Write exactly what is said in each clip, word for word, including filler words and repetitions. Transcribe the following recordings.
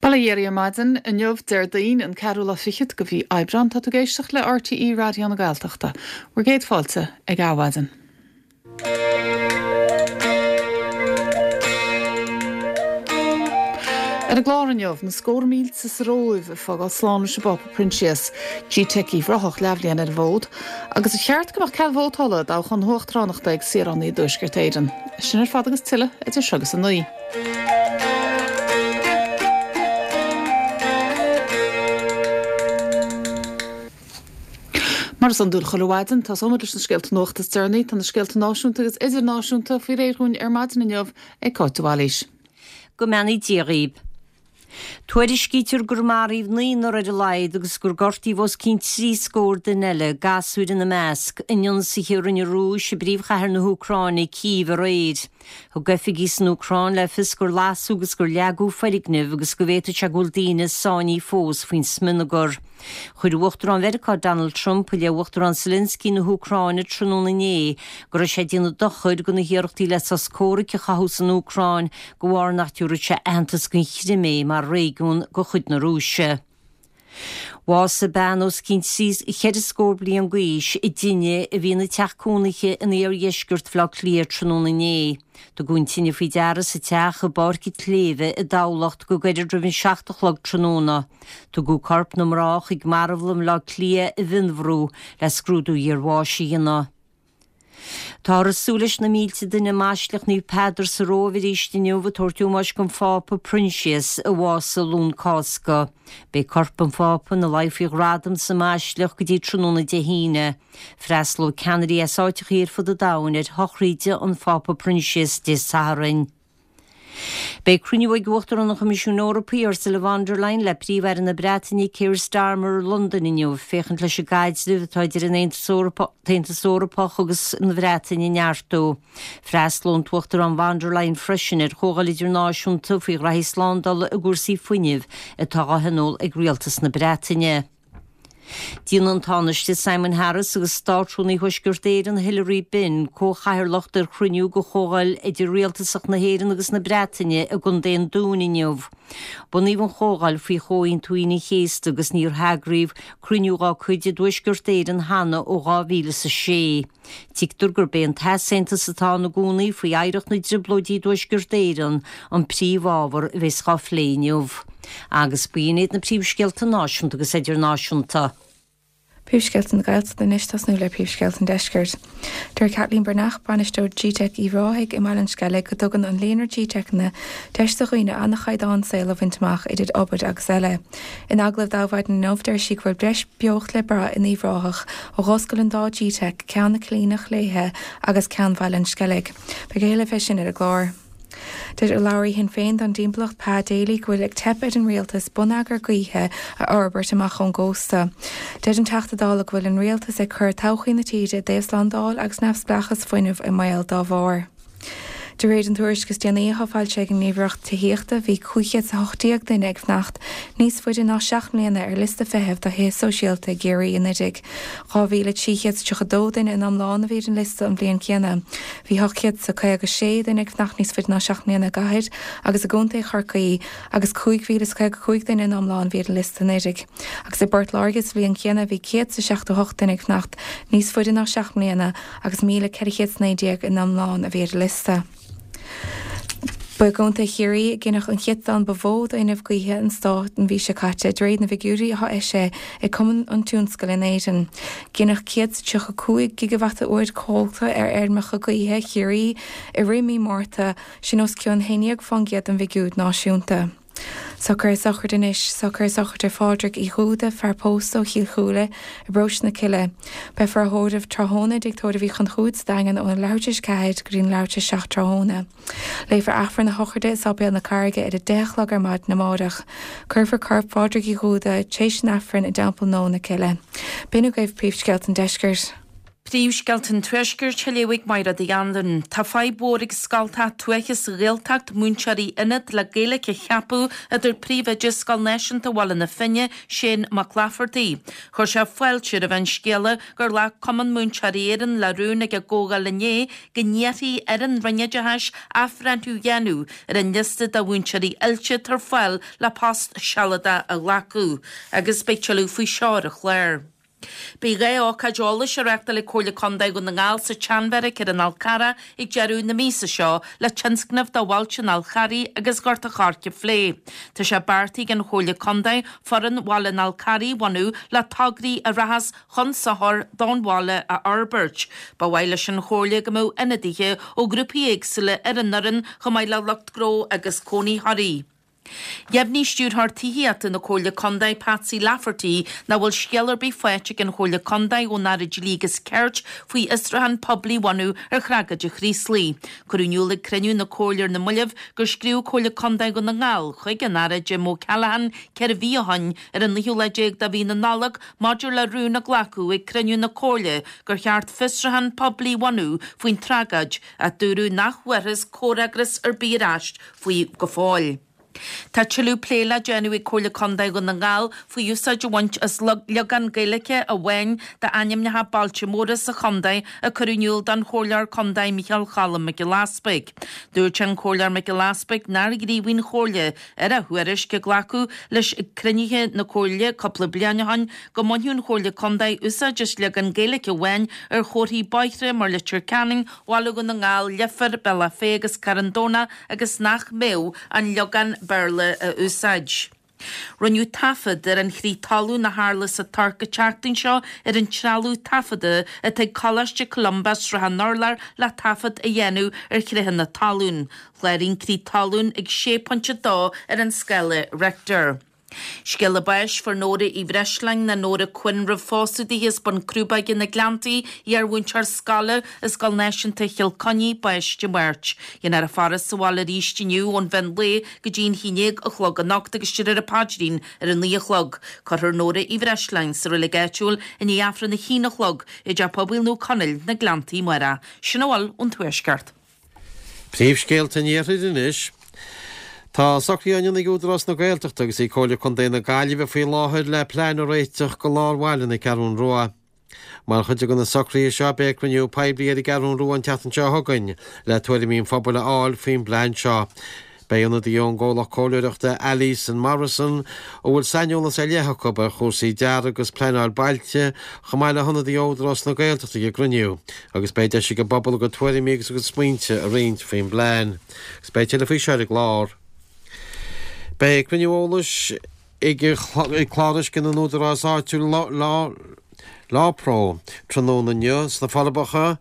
Bail ó Dhia oraibh ar maidin inniu Déardaoin an ceathrú lá fichead de mhí Aibreán tá tú ag éisteacht le RTÉ Raidió na Gaeltachta. Bhur gcéad fáilte ag Adhmhaidin. Ar an gclár inniu, na scór mílte sa Róimh ag fágáil slán leis an bPápa Proinsias, GTeic Uíbh Ráthach leathbhliain ar an bhfód, agus ar cheart go mbeadh cead vótála i dtoghchán na huachtaránachta ag saoránaigh i dTuaisceart Éireann. Sin ar fad agus tuilleadh idir seo agus a naoi. Mar is iondúil chuile mhaidin, tosóimid leis na scéalta nuachta is deireanaí. Tá na scéalta náisiúnta agus idirnáisiúnta faoi réir dhúinn ar maidin inniu ag Cáit de Bhailís. Go mbeannaí Dia dhaoib. Tuairiscítear gur maraíodh naonúr ar a laghad agus gur gortaíodh os cionn trí scór duine eile, gasúir ina measc, in ionsaithe a rinne an Rúis i bpríomhchathair na hÚcráine, Cív, aréir. Thug oifigigh san Úcráin le fios gur lasadh agus gur leagadh foirgnimh agus go bhféadfadh sé go bhfuil daoine sáinnithe fós faoin smionagar. Chuir Uachtarán Mheiriceá Donald Trump i leith Uachtarán Zelensky na hÚcráine tráthnóna inné go raibh sé ag déanamh dochair do na hiarrachtaí le sos comhraic a chothú san Úcráin de bharr nach dtabharfadh sé aitheantas don Chrimé mar réigiún de chuid na Rúise. Bhásaigh bean os cionn ceithre scór bliain d'aois i dtine a bhí ina teach cónaithe in iardheisceart Bhaile Átha Cliath tráthnóna inné. Tugadh an tine faoi deara sa teach i bPáirc an tSléibhe i dTamhlacht go gairid roimh an seacht a chlog tráthnóna. Tugadh corp na mná chuig marbhlann Bhaile Átha Cliath i bhFionnbhrú le scrúdú iarbháis a dhéanamh. Táthar ag súil leis na mílte duine i mBaisleac Naomh Peadar sa Róimh arís inniu ag tabhairt ómóis don Phápa Proinsias a bhásaigh Luan Cásca. Beidh corp an Phápa ina luí faoi ghradam sa mBaisleac go dtí tráthnóna Dé hAoine. Freastalóidh ceannairí as áiteachaí ar fud an domhain ar shochraíde an Phápa Proinsias Dé Sathairn. Beidh cruinniú ag Uachtarán an Choimisiúin Eorpaigh, Ursula von der Leyen, le Príomh-Aire na Breataine, Keir Starmer, i Londain inniu, féachaint leis an gcaidreamh atá idir an tAontas Eorpach agus an Bhreatain a neartú. Freastalóidh an tUachtarán von der Leyen freisin ar chomhdháil idirnáisiúnta faoi ghraithí slándála i gcúrsaí fuinnimh atá á thionól ag Rialtas na Breataine. Déanfaidh an Tánaiste Simon Harris agus Státrúnaí Thuaisceart Éireann Hilary Benn comhchathaoirleacht ar chruinniú de Chomhdháil Idir-Rialtasach na hÉireann agus na Breataine i gContae an Dúin inniu. Bunaíodh an Chomhdháil faoi Chomhaontú Aoine an Chéasta agus níor heagraíodh cruinniú dá cuid i dTuaisceart Éireann cheana ó dhá mhíle is a sé. Tuigtear gurb é an t-easaontas atá ann i gcónaí faoi oidhreacht na dTrioblóidí i dTuaisceart Éireann an príomhábhar a bheas á phlé inniu. Agus b'in iad na príomhscéalta náisiúnta agus idirnáisiúnta. Príomhscéalta na Gaeltachta anois tosnú le príomhscéalta an Deiscirt. Deir Kathleen Breathnach, Bainisteoir GTeic Uíbh Ráthaigh i mBaile an Sceilg go dtugann an líonra GTeiceanna deis do dhaoine an-chaighdeán saoil a bhaint amach idir obair agus eile. In agallamh d'Adhmhaidin inniu deir sí go bhfuil breis beocht le brath in Uíbh Ráthach ó dh'oscail an dá GTeic, ceann na Coilíneach léithe agus ceann Bhaile an Sceilg. Beidh a thuilleadh fé sin ar an gclár. Deir urlabhraí Shinn Féin don dtimpeallacht Pa Daly go bhfuil ag teip ar an rialtas bonneagar gaoithe a fhorbairt amach ón gcósta. Deir an Teachta Dála go bhfuil an rialtas ag cur todhchaí na tíre i dtaobh slándáil agus neamhspleáchas fuinnimh i mbaol dá bharr. De réir an tuairisc is déanaí atá foilsithe ag an nGníomhaireacht Tithíochta bhí cúig chéad is a hocht déag duine ag fanacht níos faide ná seacht mbliana ar liosta feithimh do thithe sóisialta i gCiarraí anuraidh. Dhá mhíle trí chéad is tríocha dó duine in iomlán a bhí ar an liosta an bhliain chéanna. Bhí ocht gcéad is a caoga sé duine ag fanacht níos faide ná seacht mbliana i gcathair agus i gcontae Chorcaí agus cúig mhíle is caoga cúig duine in iomlán a bhí ar an liosta anuraidh. Agus i bPort Láirge sa bhliain chéanna bhí céad is a seachtó hocht duine ag fanacht níos faide ná seacht mbliana agus míle ceithre chéad is naoi déag in iomlán a bhí ar an liosta. Ba i gContae Chiarraí a gineadh an céatadán ba mhó d'fhuinneamh gaoithe an stáit an mhí seo caite, de réir na bhfigiúirí atá eisithe ag Cumann an Tionscail in Éirinn. Gineadh céad is tríocha cúig gigeavata uair cumhachta ar fheirmeacha gaoithe Chiarraí i rith mí Márta, sin os cionn haon déag fán gcéad den bhfigiúr náisiúnta. Socruithe sochraide anois, Socruithe sochraide Phádraig Uí Dhúda, fear pósta ó Chill Chúile, i bparóiste na Cille. Beifear á thórramh tráthnóna i dTigh Tórraimh Uí Chonchúir sa Daingean óna leathuair tar éis a ceathair go dtí an leathuair tar éis a seacht tráthnóna. Léifear Aifreann a shochraide i Sáipéal na Carraige ar a deich a chlog ar maidin amárach. Cuirfear corp Phádraig Uí Dhúda, tar éis an Aifrinn, i dTeampall Nua na Cille. B'in agaibh príomhscéalta an deiscirt. Príomhscéalta an Tuaiscirt á léamh ag Máire Uí Anluain. Tá fadhb mhór ag scoltacha tuaithe sa Ghaeltacht múinteoirí ionaid le Gaeilge a cheapadh a dúirt príomhoide Scoil Náisiúnta Bhaile na Finne, Shane Mac Laifeartaigh. Chuir sé fáilte roimh an scéala gur ghlac Cumann Múinteoirí Éireann le rún ag a gcomhdháil inné go n-iarrfaí ar an Roinn Oideachais athbhreithniú a dhéanamh ar an liosta de mhúinteoirí oilte atá ar fáil le post sealadach a ghlacadh, agus beidh tuilleadh faoi seo ar an chlár. Beidh dhá ócáid eolais á reáchtáil ag Comhairle Contae Dhún na nGall sa tSeanbheairic ar an Fhál Carrach ag deireadh na míosa seo le tionscnamh do bhailte an Fháil Charraigh agus Ghort an Choirce a phlé. Tá sé beartaithe ag an Chomhairle Contae foireann Bhaile an Fháil Carraigh a bhunú le tograí a rachas chun sochair don bhaile a fhorbairt. Ba mhaith leis an Chomhairle go mbeadh ionadaithe ó ghrúpaí éagsúla ar an fhoireann chomh maith le lucht gnó agus cónaitheoirí. Dheimhnigh Stiúrthóir Tithíochta na Comhairle Contae Patsy Lafferty nach bhfuil scéal ar bith faighte ag an Chomhairle Contae ón Aire Dlí agus Cirt faoi fhiosrúchán poiblí a bhunú ar thragóid an Chraoslaigh. Cuireadh in iúl ag cruinniú na Comhairle ar na mallaibh gur scríobh Comhairle Contae Dhún na nGall chuig an Aire Jim O'Callaghan ceithre mhí ó shin ar an naoú lá déag de mhí na Nollag maidir le rún a glacadh ag cruinniú na Comhairle gur cheart fiosrúchán poiblí a bhunú faoin tragóid ach dúradh nach bhfuarthas comhfhreagras ar bith ar ais faoi go fóill. Tá tuilleadh plé le déanamh ag Comhairle Contae Dhún na nGall faoi úsáid a bhaint as leagán Gaeilge amháin d'ainmneacha bailte móra sa chontae a cuireadh in iúl don Chomhairleoir Contae Micheál Cholm Mac Giolla Easpaig. Dúirt an Comhairleoir Mac Giolla Easpaig nár ghníomhaigh an Chomhairle ar a thuairisc a glacadh leis ag cruinnithe na Comhairle cúpla bliain ó shin go mbainfeadh an Chomhairle Contae úsáid as leagán Gaeilge amháin ar chomharthaí bóithre mar Leitir Ceanainn, Bhaile Dhún na nGall, Leifear, Bealach Féich agus Carn Domhnach agus nach mbeadh an leagán Béarla a úsáid. Rinneadh taifead ar an chrith talún a tharla sa Tuirc an tseachtain seo ar an trealamh taifeadta atá ag Coláiste Columba Srath an Urláir le taifead a dhéanamh ar chritheanna talún. Chláraigh an crith talún ag sé pointe dó ar an scála Richter. Scéala báis fuair Nóra Uí Bhreisleáin nó Nóra Quinn roimh phósadh di as Bun Crúbóige na Gleanntaí, iarmhúinteoir scoile i Scoil Náisiúnta Chill Chainnigh, bás Dé Máirt. Déanfar a faire sa bhaile arís inniu ón mheán lae go dtí an haon déag a chlog anocht agus déarfar an paidrín ar a naoi a chlog. Cuirfear Nóra Uí Bhreisleáin sa reilig áitiúil i ndiaidh Aifreann a haon a chlog i dTeach Pobail Naomh Conaill na Gleanntaí amárach. Sin a bhfuil ón Tuaisceart. Príomhscéalta an Iarthair anois. Tá socruithe á ndéanamh ag Údarás na Gaeltachta agus ag Comhairle Contae na Gaillimhe faoi láthair le plean a réiteach go lár bhaile na Ceathrún Rua. Mar chuid de na socruithe seo beidh cruinniú poiblí ar an gCeathrún Rua an tseachtain seo chugainn le tuairimí an phobail a fháil faoin bplean seo. Beidh ionadaí ón gcomhlacht comhairleoireachta Alison Morrison a bhfuil saineolas ar leith acu ar chúrsaí dearaidh agus pleanáil bailte chomh maith le hionadaí ó Údarás na Gaeltachta ag an gcruinniú agus beidh deis ag an bpobal a gcuid tuairimí agus a gcuid smaointe a roinnt faoin bplean. Agus beidh tuilleadh faoi seo ar an gclár. Beidh cruinniú eolais ag Clár Uisce na nÚdarás Áitiúil LawPro tráthnóna inniu sna Forbacha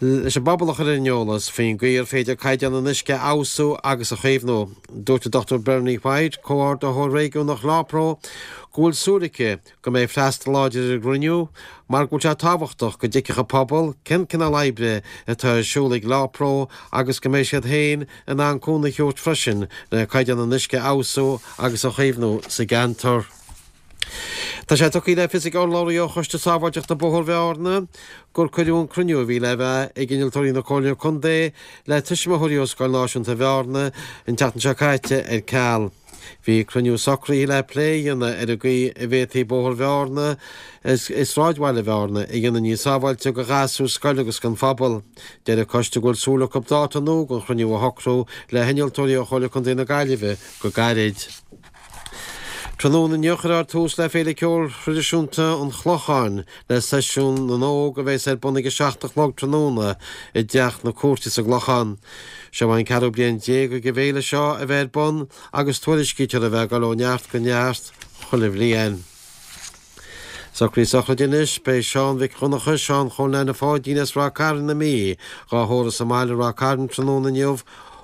leis an bpobal a chur ar an eolas faoin gcaoi ar féidir caighdeán an uisce a fheabhsú agus a chaomhnú. Dúirt an Dochtúir Bernie White, comhordaitheoir réigiúnach LawPro, go bhfuil súil aici go mbeidh freastal láidir ar an gcruinniú mar go bhfuil sé tábhachtach go dtuigfeadh an pobal cén cineál oibre atá ar siúl ag LawPro agus go mbeidh siad féin in ann cúnamh a thabhairt freisin le caighdeán an uisce a fheabhsú agus a chaomhnú sa gceantar. Tá sé tugtha le fios ag urlabhraí ó Choiste Sábháilteachta Bóthar Bhearna gur cuireadh an cruinniú a bhí le bheith ag innealtóirí na Comhairle Contae le tuismitheoirí ó Scoil Náisiúnta Bhearna an tseachtain seo caite ar ceal. Bhí cruinniú socraithe le plé a dhéanamh ar an gcaoi a bhféadfaí Bóthar Bhearna i sráidbhaile Bhearna a dhéanamh níos sábháilte do ghasúir scoile agus don phobal. Deir an coiste go bhfuil súil acu dáta nua don chruinniú a shocrú le hinnealtóirí ó Chomhairle Contae na Gaillimhe go gairid. Tráthnóna inniu cuirfear tús le Féile Ceoil Thraidisiúnta an Chlocháin le Seisiún na nÓg a bheas ar bun ag a seacht a chlog tráthnóna i dTeach na Cúirte sa gClochán. Seo an ceathrú bliain déag ag an bhféile seo a bheith ar bun agus tuairiscítear a bheith ag dul ó neart go neart chuile bhliain. Socruithe sochraide anois, beidh Seán Mhic Dhonncha, Seán Chóil Neaine Pháidín as Ráth Cairn na Mí, dhá thórramh sa mbaile Ráth Cairn tráthnóna inniu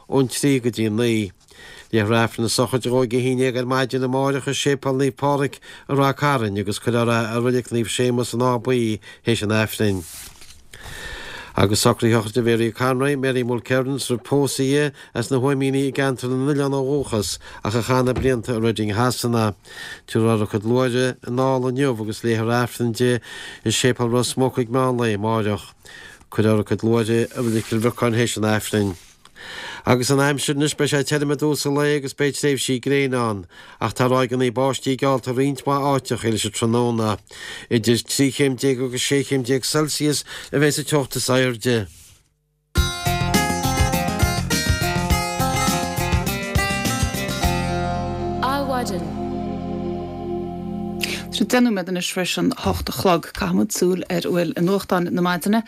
ón trí go dtí a naoi. Léifear Aifreann na sochraide dhó ag a haon déag ar maidin amáireach i Séipéal Naomh Pádraig i Ráth Cairn agus cuirfear é i Reilig Naomh Séamus in Áth Buí théis an Aifrinn. Agus socruithe shochraide Mhary Conroy, Mary Mulkerrins, ar pósadh í as na hÓimíní i gceantar na nOileán ó dhúchas ach a chaith na blianta i Reading Shasana. Tabharfar a cuid luaithre anall inniu agus léifear Aifreann di i Séipéal Ros Muc ag meán lae amáireach. Cuirfear a cuid luaithre i Reilig Chill Bhriocáin théis an Aifrinn. Agus an aimsir anois beidh sé tirim i dtús an lae agus beidh tréimhsí gréine ann, ach tá ráigeanna báistí geallta roinnt mhaith áiteacha leis an tráthnóna. Idir trí chéim déag agus sé chéim déag Celsius a bheidh sa teocht is airde. Adhmhaidin. Tá sé deich nóiméad anois tar éis an hocht a chlog. Caithfimid súil ar a bhfuil i nuachtáin na maidine.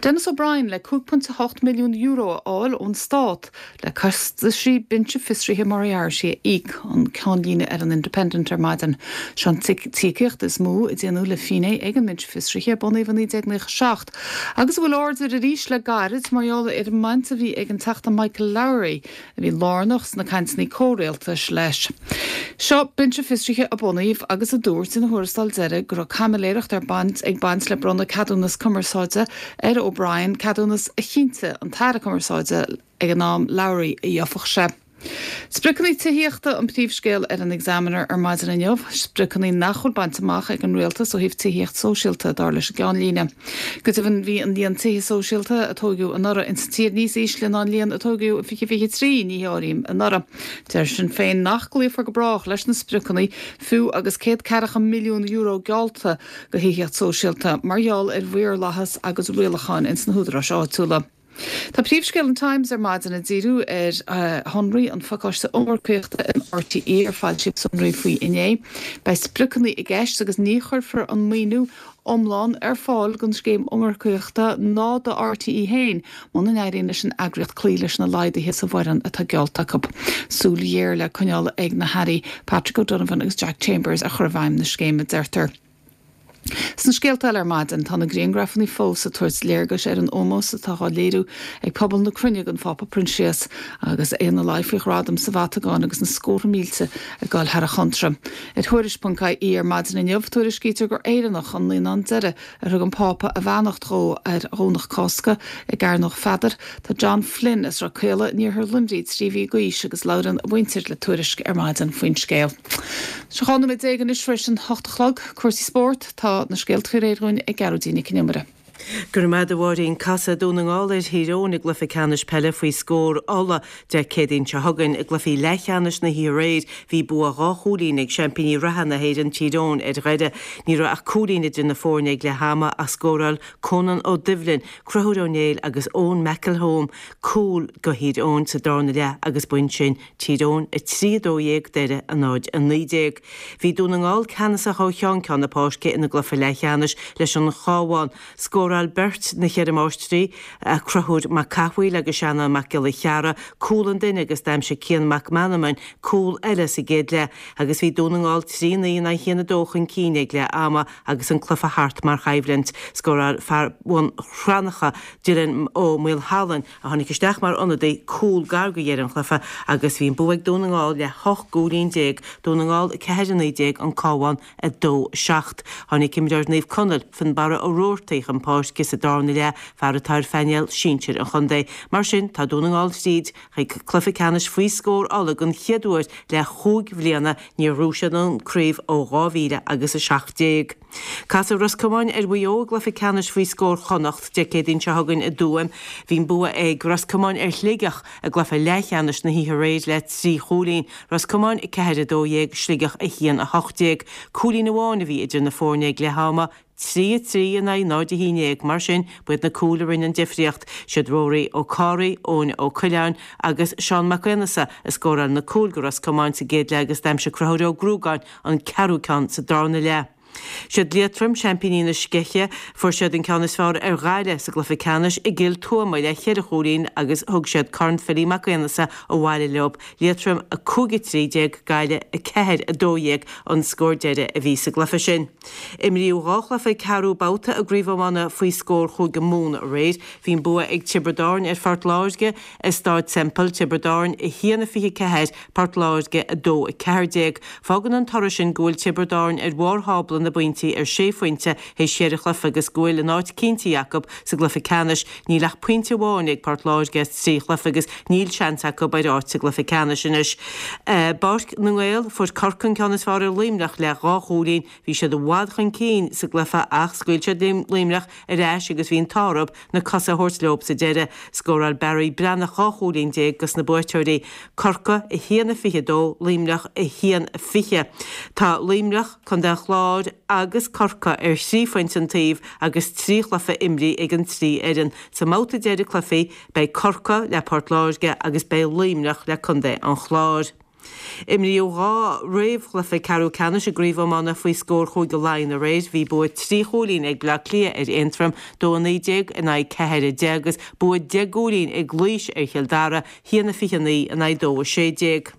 Denis O'Brien le cúig pointe a hocht milliún euro a fháil ón Stát le costaisí binse fiosraithe Moriarty a íoc, an ceannlíne ar an Independent ar maidin. Seo an t-íocaíocht is mó a déanadh le finné ag an mbinse fiosraithe a bunaíodh i naoi déag naocha seacht agus a bhfuil aird air arís le gairid mar gheall ar an mbaint a bhí ag an Teachta Michael Lowry a bhí lárnach sna cainteanna comhrialtais leis. Seo binse fiosraithe a bunaíodh agus a dúirt ina thuarascáil deiridh go raibh caimiléireacht ar baint ag baint le bronnadh ceadúnas cumarsáide ar O'Brien, ceadúnas a chinntigh an tAire Cumarsáide ag an am, Lowry, a gheobhadh sé. Spriocanna tithíochta an príomhscéal ar an Examiner ar maidin inniu, spriocanna nach bhfuil bainte amach ag an rialtas ó thaobh tithíocht sóisialta, dar leis an gceannlíne. Go deimhin bhí an líon tithe sóisialta a tóigeadh anuraidh insa tír níos ísle ná an líon a tóigeadh i fiche fiche trí, ní áirím anuraidh. Deir Sinn Féin nach gcloífear go brách leis na spriocanna fiú agus céad ceathracha milliún euro geallta do thithíocht sóisialta mar gheall ar mhaorlathas agus rialacháin ins na húdaráis áitiúla. Tá príomhscéal an Times ar maidin ag díriú ar shonraí an phacáiste iomarcaíochta in RTÉ ar foilsíodh sonraí faoi inné. Beidh spriocanna i gceist agus ní chuirfear an maoiniú iomlán ar fáil don scéim iomarcaíochta ná do RTÉ féin muna n-éiríonn leis an eagraíocht cloí leis na laghduithe sa bhfoireann atá geallta acu. Súil ghéar le coinneáil ag na hAirí Patrick O'Donovan agus Jack Chambers ar chur i bhfeidhm na scéime, deirtear. Sna scéalta eile ar maidin, tá na grianghrafanna fós ag tabhairt léargais ar an ómós atá á léiriú ag pobal na cruinne don Phápa Proinsias agus é ina luí faoi ghradam sa Vatacáin agus na scórtha mílte ag dul thar a chontra. Ar Thuairisc ponc ie ar maidin inniu, tuairiscítear gur Éireannach an naíonán deiridh ar thug an Pápa a bheannacht dhó ar Dhomhnach Cásca i gCearnóg Pheadair. Tá John Flynn as Ráth Caola in iarthar Luimnigh trí mhí d'aois agus labhrann a mhuintir le Tuairisc ar maidin faoin scéal. Sé dhá nóiméad déag anois tar éis an hocht a chlog. Cúrsaí spóirt, tá na scéalta faoi réir dhúinn ag Gearóidín Nic Con Iomaire. Go raibh maith agat a Mháirín. Casfaidh Dún na nGall ar Thír Eoghain i gcluiche ceannais peile faoi scór Uladh Dé Céadaoin seo chugainn. I gcluiche leathcheannais na hoíche aréir bhí bua dhá chúilín ag seaimpíní reatha na hÉireann, Tír Eoghain, ar Dhoire. Ní raibh ach cúilín idir na foirne ag leath ama ach scóráil Conán Ó Doibhlin, Conchúr Ó Néill agus Eoin McElholm cúl do Thír Eoghain sa darna leath agus b'in sin Tír Eoghain a trí a dó dhéag, Doire a náid a naoi déag. Bhí Dún na nGall ceannasach ó cheann ceann na páirce ina gcluiche leathcheannais leis an Chabhán. Scóráil beirt na cheithre máistrí, Conchúr Mac Cathmhaoil agus Seanán Mac Giolla Chearra, cúl an duine agus d'aimsigh Cian Mac Meanman cúl eile sa gcéad leath agus bhí Dún na nGall trí naoi in aghaidh a haon a dó chun cinn ag leath ama agus an cluiche thart mar choimhlint. Scóráil fear Bhun Cranncha, Dylan Ó Maolshealáin, a tháinig isteach mar ionadaí, cúl gar do dheireadh an chluiche agus bhí an bua ag Dún na nGall le hocht gcúilín déag, Dún na nGall a ceathair a naoi déag, An Cabhán a dó seacht. Tháinig imreoir Naomh Conaill, Fionnbarra Ó Roarty, chun páirce sa darna leath, fear atá ar phainéal sinsir an chontae. Mar sin, tá Dún na nGall tríd chuig cluiche ceannais faoi scór Uladh den chéad uair le chúig bhliana, níor ghnóthaigh siad an craobh ó dhá mhíle agus a seacht déag. Casfaidh Ros Comáin ar Mhaigh Eo i gcluiche ceannais faoi scór Chonnacht Dé Céadaoin seo chugainn i dTuaim. Bhí an bua ag Ros Comáin ar Shligeach i gcluiche leathcheannais na hoíche aréir le trí chúilín, Ros Comáin a ceathair a dó dhéag, Sligeach a haon a hocht déag. Cúilín amháin a bhí idir na foirne ag leath ama, trí a trí in aghaidh náid a haon déag. Mar sin, ba iad na cúil a rinne an difríocht. Siad Rory Ó Comhraí, Eoin Ó Coileáin agus Seán Mac Aonghasa a scóráil na cúil do Ros Comáin sa gcéad leath agus d'aimsigh Conchúr Ó Gruagáin an ceathrú ceann sa darna leath. Siad Liatroim seaimpíní na Sceiche. Fuair siad an ceann is fearr ar Ghaillimh sa gcluiche ceannais i gCill Tuama le ceithre chúilín agus thug siad Corn Philly Mac Aonghasa abhaile leo. Liatroim a cúig a trí déag, Gaillimh a ceathair a dó dhéag an scór deiridh a bhí sa gcluiche sin. Imríodh dhá chluiche ceathrú babhta i gCraobh Iomána faoi scór Chúige Mumhan aréir. Bhí an bua ag Tiobraid Árann ar Phort Láirge i Stáid Semple, Tiobraid Árann a haon a fiche ceathair, Port Láirge a dó a ceathair déag. Fágann an toradh sin go bhfuil Tiobraid Árann ar bharr thábla tábla na bpointí ar sé phointe théis cheithre chluiche agus go bhfuil a n-áit cinntithe acu sa gcluiche ceannais. Níl ach pointe amháin ag Port Láirge as trí chluiche agus níl seans acu ar áit sa gcluiche ceannais anois. I bPáirc na nGael, fuair Corcaigh an ceann is fearr ar Luimneach le dhá chúilín. Bhí siad i bhfad chun cinn sa gcluiche ach scaoil siad Luimneach ar ais agus bhí an t-ádh orthu na cosa a thabhairt leo sa deireadh. Scóráil Barry Breathnach dhá chúilín déag dos na buaiteoirí. Corcaigh a haon a fiche a dó, Luimneach a haon a fiche. Tá Luimneach, Contae an Chláir agus Corcaigh ar thrí phointe an taobh agus trí chluiche imrithe ag an trí fhoireann. Sa mbabhta deiridh cluichí, beidh Corcaigh le Port Láirge agus beidh Luimneach le Contae an Chláir. Imríodh dhá réamhchluiche ceathrú ceannais i gCraobh Iomána faoi scór Chúige Laighean aréir. Bhí bua trí chúilín ag Bleá Cliath ar Aontroim, dó a naoi déag in aghaidh ceathair a deich agus bua deich gcúilín ag Laois ar Chill Dara, haon a fiche a naoi in aghaidh dó a sé déag.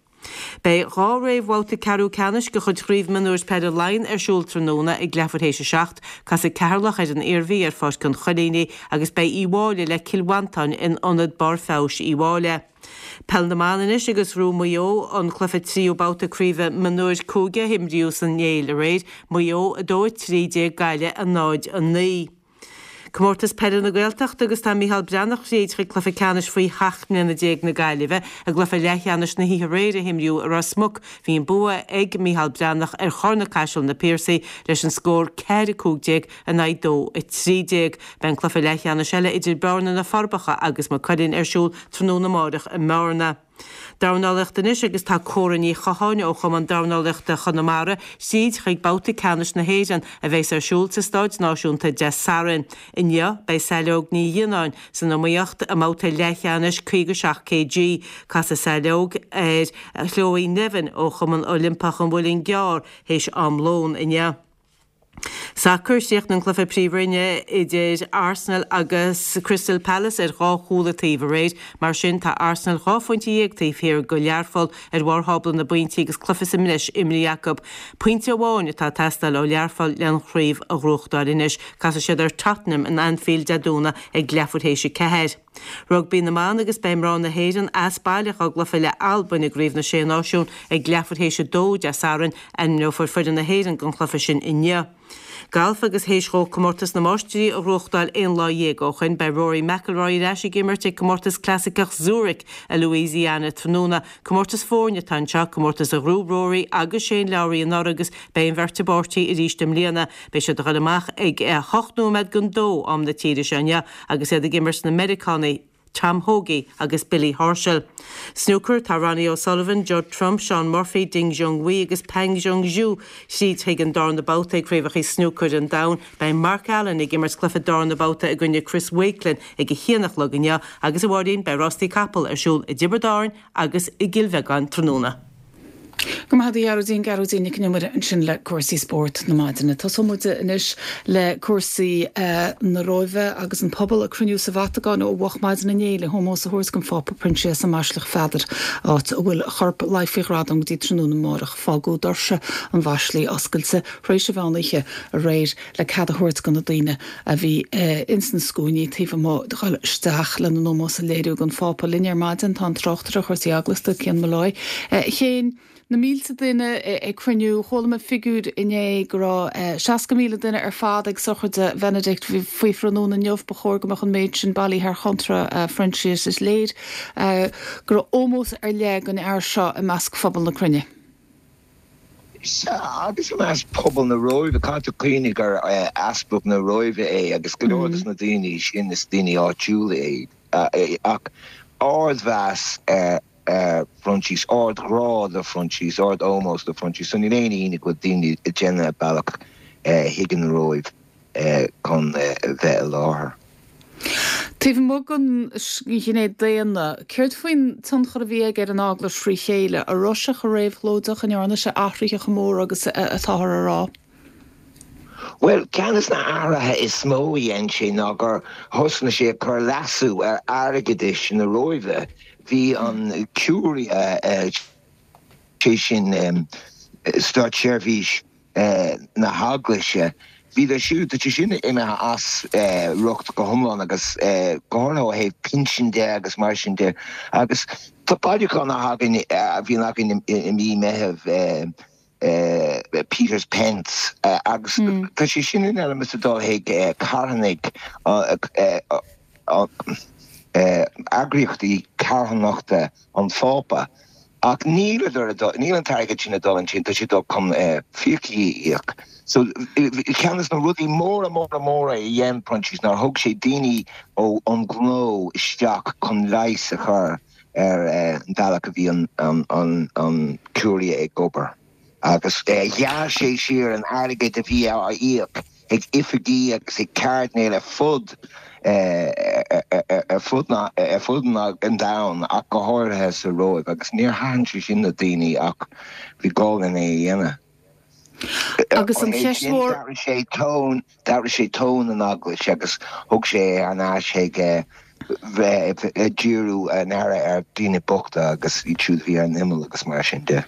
Beidh dhá réamhbhabhta ceathrú ceannais de chuid Chraobh Mionúir Peile Laighean ar siúl tráthnóna ag leathuair théis a seacht. Casfaidh Ceatharlach ar an Iarmhí ar Pháirc an Choilínigh agus beidh Uíbh Fhailí le Cill Mhantáin in Ionad Barr Feabhais Uíbh Fhailí. Peil na mBan anois agus ghnóthaigh Maigh Eo an cluiche tríú babhta craoibhe mionúir cúige a himríodh san Néill aréir, Maigh Eo a dó a trí déag Gaillimh a náid a naoi. Comórtas Peile na Gaeltachta agus tá Micheál Breathnach thríd chuig cluiche ceannais faoi sheacht mbliana déag na Gaillimhe. I gcluiche leathcheannais na hoíche aréir a himríodh i Ros Muc, bhí an bua ag Micheál Breathnach ar Chorr na Caiseal Na Piarsaigh leis an scór ceathair a cúig déag in aghaidh dó a trí déag. Beidh an cluiche leathcheannais eile idir Bearna Na Forbacha agus Maigh Cuilinn ar siúl tráthnóna amáireach i mBearna. Dornálaíocht anois agus tá Córa Ní Chatháin ó Chumann Dornálaíochta Chonamara tríd chuig babhta ceannais na hÉireann a bheas ar siúl sa Stáid Náisiúnta Dé Sathairn. Inniu beidh Saileog Ní Ghionnáin san iomaíocht i mbabhta leathcheannais caoga seacht kg. Casfaidh Saileog ar Chloe Nevin ó Chumann Oilimpeach an Mhuilinn gCearr théis am lóin inniu. Sacar, Chríochnaigh an cluiche Príomhroinne idir Arsenal agus Crystal Palace ar dhá chúl an taobh aréir. Mar sin, tá Arsenal dhá phointe dhéag taobh thiar de Learpholl ar bharr thábla na bpointí agus cluiche sa mbreis imrithe acu. Pointe amháin atá ag teastáil ó Learpholl len chraobh a ghnóthachtáil anois. Casfaidh siad ar Tottenham in Anfield Dé Domhnaigh ag leathuair théis a ceathair. Rugbaí na mBan agus beidh mná na hÉireann as baile dá gcluiche le Albain i gCraobh na Sé Náisiún ag leathuair théis a dó Dé Sathairn. Ainmneofar foireann na hÉireann don chluiche sin inniu. Galf agus théis dhó Comórtas na Máistrí a ghnóthachtáil aon lá dhéag ó shoin, beidh Rory McIlroy ar ais ag imirt ag Comórtas Clasaiceach Zurich i Louisiana tráthnóna. Comórtas foirne atá anseo, comórtas a ghnóthaigh Rory agus Shane Lowry anuraidh agus beidh an bheirt i bpáirtí arís i mbliana. Beidh siad ag dul amach ag a hocht nóiméad don dó am na tíre seo inniu agus iad ag imirt na Meiriceánaigh Tom Hoge agus Billy Horschel. Snúcar, Tá Ronnie O'Sullivan, Judd Trump, Shaun Murphy, Ding Junhui agus Pang Junxu tríd chuig an darna babhta ag Craobhacha Snúcair an Domhain. Beidh Mark Allen ag imirt cluiche darna babhta i gcoinne Chris Wakelin ag a haon a chlog inniu agus, a Mháirín, beidh rástaí capall ar siúl i dTiobraid Árann agus i gCill Bheagáin tráthnóna. Go maith a Ghearóidín, Gearóidín Nic an Iomaire ansin le cúrsaí spóirt na maidine. Tosóidh muid anois le cúrsaí na Róimhe agus an pobal ag cruinniú sa Vatacáin ó mhoch maidin inné le hómós a thabhairt don Phápa Proinsias i mBaisleac Pheadair, áit a bhfuil a chorp luí faoi ghradam go dtí tráthnóna amárach. Fágadh doirse an bhaisligh oscailte tar éis an mheán oíche aréir le cead a thabhairt do na daoine a bhí ins na scuainí taobh amuigh dul isteach lena n-ómós a léiriú don Phápa. Linn ar maidin tá an tráchtaire chúrsaí eaglasta, Cian Molloy. Cian, na mílte duine ag cruinniú, chuala mé figiúr inné go raibh seasca míle duine ar fad ag sochraid Bheinidict faoi thráthnóna inniu. Ba chóir go mbeadh an méid sin bailithe thar chontra Phroinsias. Is léir go raibh ómós ar leith don fhear seo i measc phobal na cruinne. Sea, agus i measc pobal na Róimhe, caithfidh tú cuimhneamh gur easpag na Róimhe é agus go leor de na daoine sin is daoine áitiúla iad. Ach ardmheas ar Phroinsias, ardghrá do Phroinsias, ard-ómós do Phroinsias, so níl aon ionadh go bhfuil daoine ag déanamh a bealach chuig an Róimh chun bheith i láthair. Taobh amuigh den ghné daonna, céard faoin tionchar a bhí aige ar an Eaglais frí chéile? An raibh sé chomh réabhlóideach, an ndearna sé athruithe chomh mór agus atáthar a rá? Bhuel, ceann de na hathruithe is mó a dhein sé ná gur thosnaigh sé ag cur leasú ar airgeadais na Róimhe. Bhí an Curia, sé sin státseirbhís na hEaglaise, bhíodar siúd, tá sé sin imithe as riocht go hiomlán agus go háirithe ó thaobh pinsin de agus mar sin de. Agus tá bailiúchán a thagann, a bhíonn againn i mí Meithimh, Peter's Pence agus tá sé sin in ainm is a dul chuig carthanaigh eagraíochtaí carthanachta an Phápa. Ach níl níl an t-airgead sin ag dul ansin, tá sé ag dul chun fiacha a íoc. So ceann de na rudaí móra móra móra a dhein Proinsias ná thug sé daoine ó an gnó isteach chun leigheas a chur ar an bealach a bhí an an an Curia ag obair. Agus ghearr sé siar an airgead a bhí á íoc ag oifigí agus ag cairdinéil ar fud ar fud ar fud an domhain ach go háirithe sa Róimh agus níor thaitin sé sin le daoine ach bhí gá lena é a dhéanamh. Agus an cheist mhór. D'athraigh sé tón, d'athraigh sé tón an Eaglais agus thug sé é thar n-ais chuig bheith ag díriú an aire ar dhaoine bochta agus iad siúd a bhí ar an imeall agus mar sin de.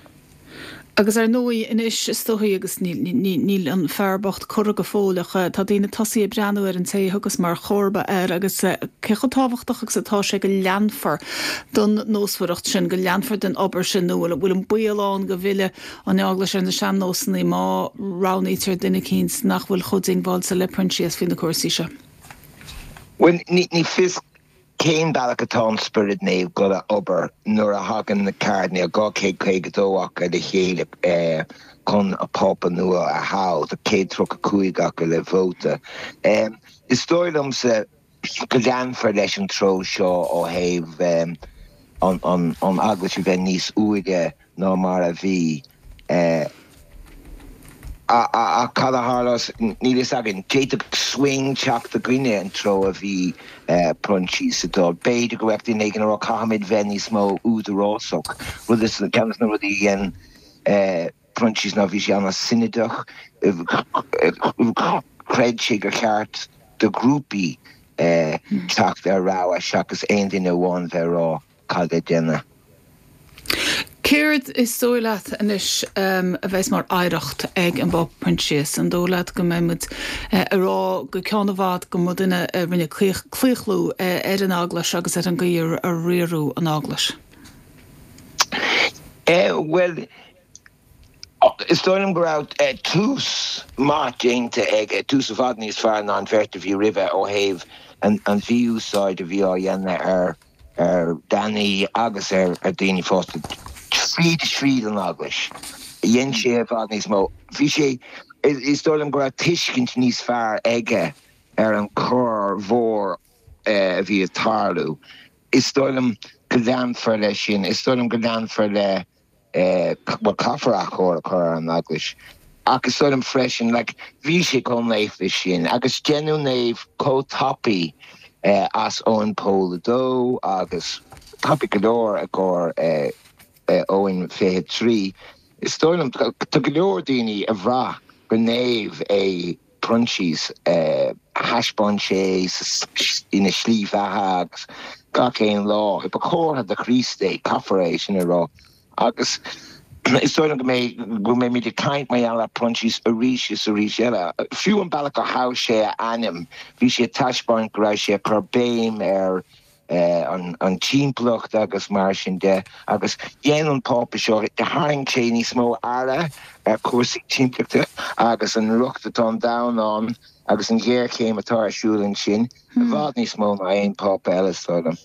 Agus ar ndóigh anois is dóichí agus níl an fear bocht curtha go fóill ach tá daoine tosaithe ag breathnú ar an té a thiocfas mar chomharba air agus cé chomh tábhachtach agus atá sé go leanfar don nósmhaireacht sin, go leanfar den obair sin nó bhfuil an baol ann go bhfillfidh an Eaglais ar na sean-nósanna má roghnaítear duine eicínt nach bhfuil chomh diongbháilte le Proinsias faoi na cúrsaí seo? Bhuel, ní fios Cén bealach atá an Spiorad Naomh dul a obair nuair a thagann na cairdinéil, dhá chéad caoga dó acu, le chéile chun a Pápa nua a thoghadh? Tá céad tríocha cúig acu le vóta. Is dóigh liomsa go leanfar leis an treo seo ó thaobh an Eaglais a bheith níos úire ná mar a bhí. Ach cad a tharlós? Níl fhios againn. D'fhéadfadh swing teacht i gcoinne an treo a bhí Proinsias ag dul. B'fhéidir go mbeadh duine éigin ag rá caithfimid bheith níos mó údarásach. Rud is, ceann de na rudaí a dhein Proinsias ná bhí sé an-sionadach. Chreid sé gur cheart do ghrúpaí teacht ar rogha seachas aon duine amháin bheith ag rá cad le déanamh. Céard is dóigh leat anois a bheas mar oidhreacht ag an bPápa Proinsias? An dóigh leat go mbeidh muid ag rá go ceann i bhfad go mba duine a rinne claochlú ar an Eaglais agus ar an gcaoi a riaradh an Eaglais? Bhuel, is dóigh liom go raibh tús maith déanta aige, tús i bhfad níos fearr ná an bheirt a bhí roimhe ó thaobh an mhí-úsáid a bhí á dhéanamh ar ar leanaí agus ar dhaoine fásta tríd is tríd an Eaglais. Dhein sé i bhfad níos mó. Bhí sé, is dóigh liom go raibh tuiscint níos fearr aige ar an choir mhór a bhí ag tarlú. Is dóigh liom go leanfar leis sin. Is dóigh liom go leanfar le bhuel, caithfear athchóir a chur ar an Eaglais. Ach is dóigh liom freisin, like, bhí sé chomh naofa sin agus deineadh naomh chomh tapaidh as Eoin Pól a Dó agus tapaidh go leor i gcomhair Eoin fiche trí. Is dóigh liom, tá go leor daoine a bhraith gur naomh é Proinsias. Thaispeáin sé ina shlí bheatha agus gach aon lá. Ba chomhartha de Chríost é, caithfear é sin a rá. Agus is dóigh liom go mbeidh, go mbeimid ag caint mar gheall ar Proinsias arís is arís eile. Fiú an bealach a thogh sé a ainm, bhí sé ag taispeáint go raibh sé ag cur béim ar an timpeallacht agus mar sin de. Agus dhein an Pápa seo, tharraing sé níos mó aire ar chúrsaí timpeallachta agus an riocht atá an domhan ann agus an ghéarchéim atá ar siúl ansin, i bhfad níos mó ná aon Phápa eile, is dóigh liom.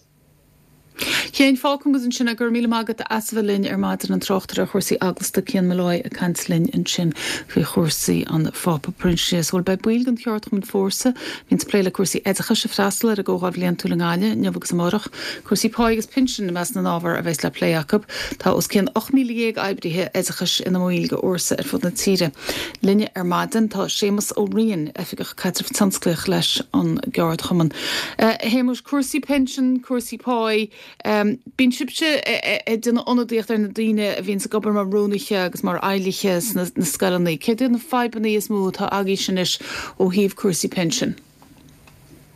Cian, fágfaidh muid ansin é. Go raibh míle maith agat as a bheith linn ar maidin, an tráchtaire ar chúrsaí eaglasta Cian Molloy ag caint linn ansin faoi chúrsaí an Phápa Proinsias. Bhuel, beidh baill den cheardchumann Fórsa, a bhíonn ag plé le cúrsaí oideachais, ag freastal ar an gcomhdháil bhliantúil i nGaillimh inniu agus amárach. Cúrsaí páí agus pinsin i measc na n-ábhar a bheas le plé acu. Tá os cionn ocht míle dhéag oibrithe oideachais ina mbaill de Fhórsa ar fud na tíre. Linne ar maidin tá Séamus Ó Riain, Oifigeach Caidrimh Tionsclaíoch leis an gceardchumann. A Shéamuis, cúrsaí pinsin, cúrsaí páí, bíonn sibhse ag déanamh ionadaíocht ar na daoine a bhíonns ag obair mar rúnaithe agus mar fheighlithe sna scoileanna. Céard iad na fadhbanna is mó atá agaibhse anois ó thaobh cúrsaí pinsin?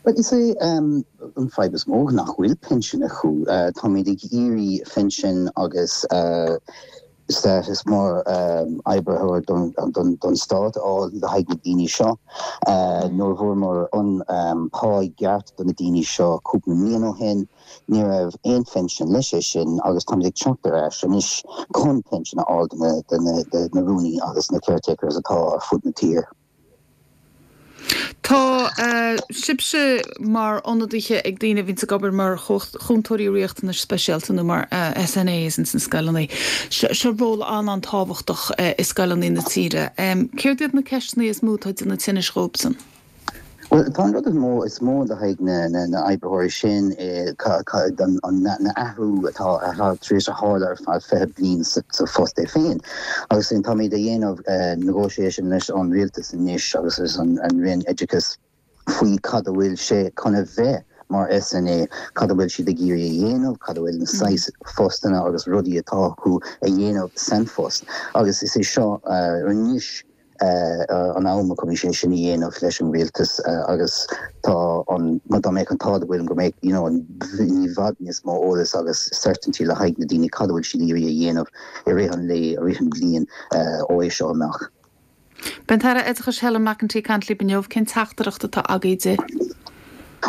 Bhuel, is é an fadhb is mó nach bhfuil pinsean acu. Táimid ag iarraidh phinsin agus status mar oibritheoir don stát a fháil le haghaidh na daoine seo. Nuair a fuaireamar an pá ceart do na daoine seo cúpla bliain ó shin, ní raibh aon phinsean leis é sin agus táimid ag teacht ar ais anois chun pinsean a fháil do na rúnaí agus na caretakers atá ar fud na tíre. Tá sibhse mar ionadaithe ag daoine a bhíonn ag obair mar chúntóirí riachtanais speisialta nó mar SNAs ins na scoileanna. Seo ról an-an-tábhachtach i scoileanna na tíre. Céard iad na ceisteanna is mó atá ag déanamh tinnis dhóibhsean? Well tá an rud is mó is mó le haghaidh na na na oibritheoirí sin an na athrú atá tar éis a tharla ar feadh fiche bliain sa phost é féin. Agus sin táimid a dhéanamh negotiation leis an rialtas anois agus leis an an Roinn Oideachais faoi cad a bhfuil sé chun a bheith mar SNA, cad a bhfuil siad ag iarraidh a dhéanamh, cad a bhfuil na saghas postanna agus rudaí atá acu a dhéanamh san phost. Agus is é seo anois an am a chun sé sin a dhéanamh leis an rialtas agus tá an dá mbeadh an t-ádh againn go mbeadh you know, i bhfad níos mó eolas agus certainty le haghaidh na daoine cad a bhfuil siad iarraidh a dhéanamh i rith an lae i rith an bhliain ó é seo amach. Beidh an tAire Oideachais Helen McEntee ag caint libh inniu cén teachtaireacht atá agaibh di.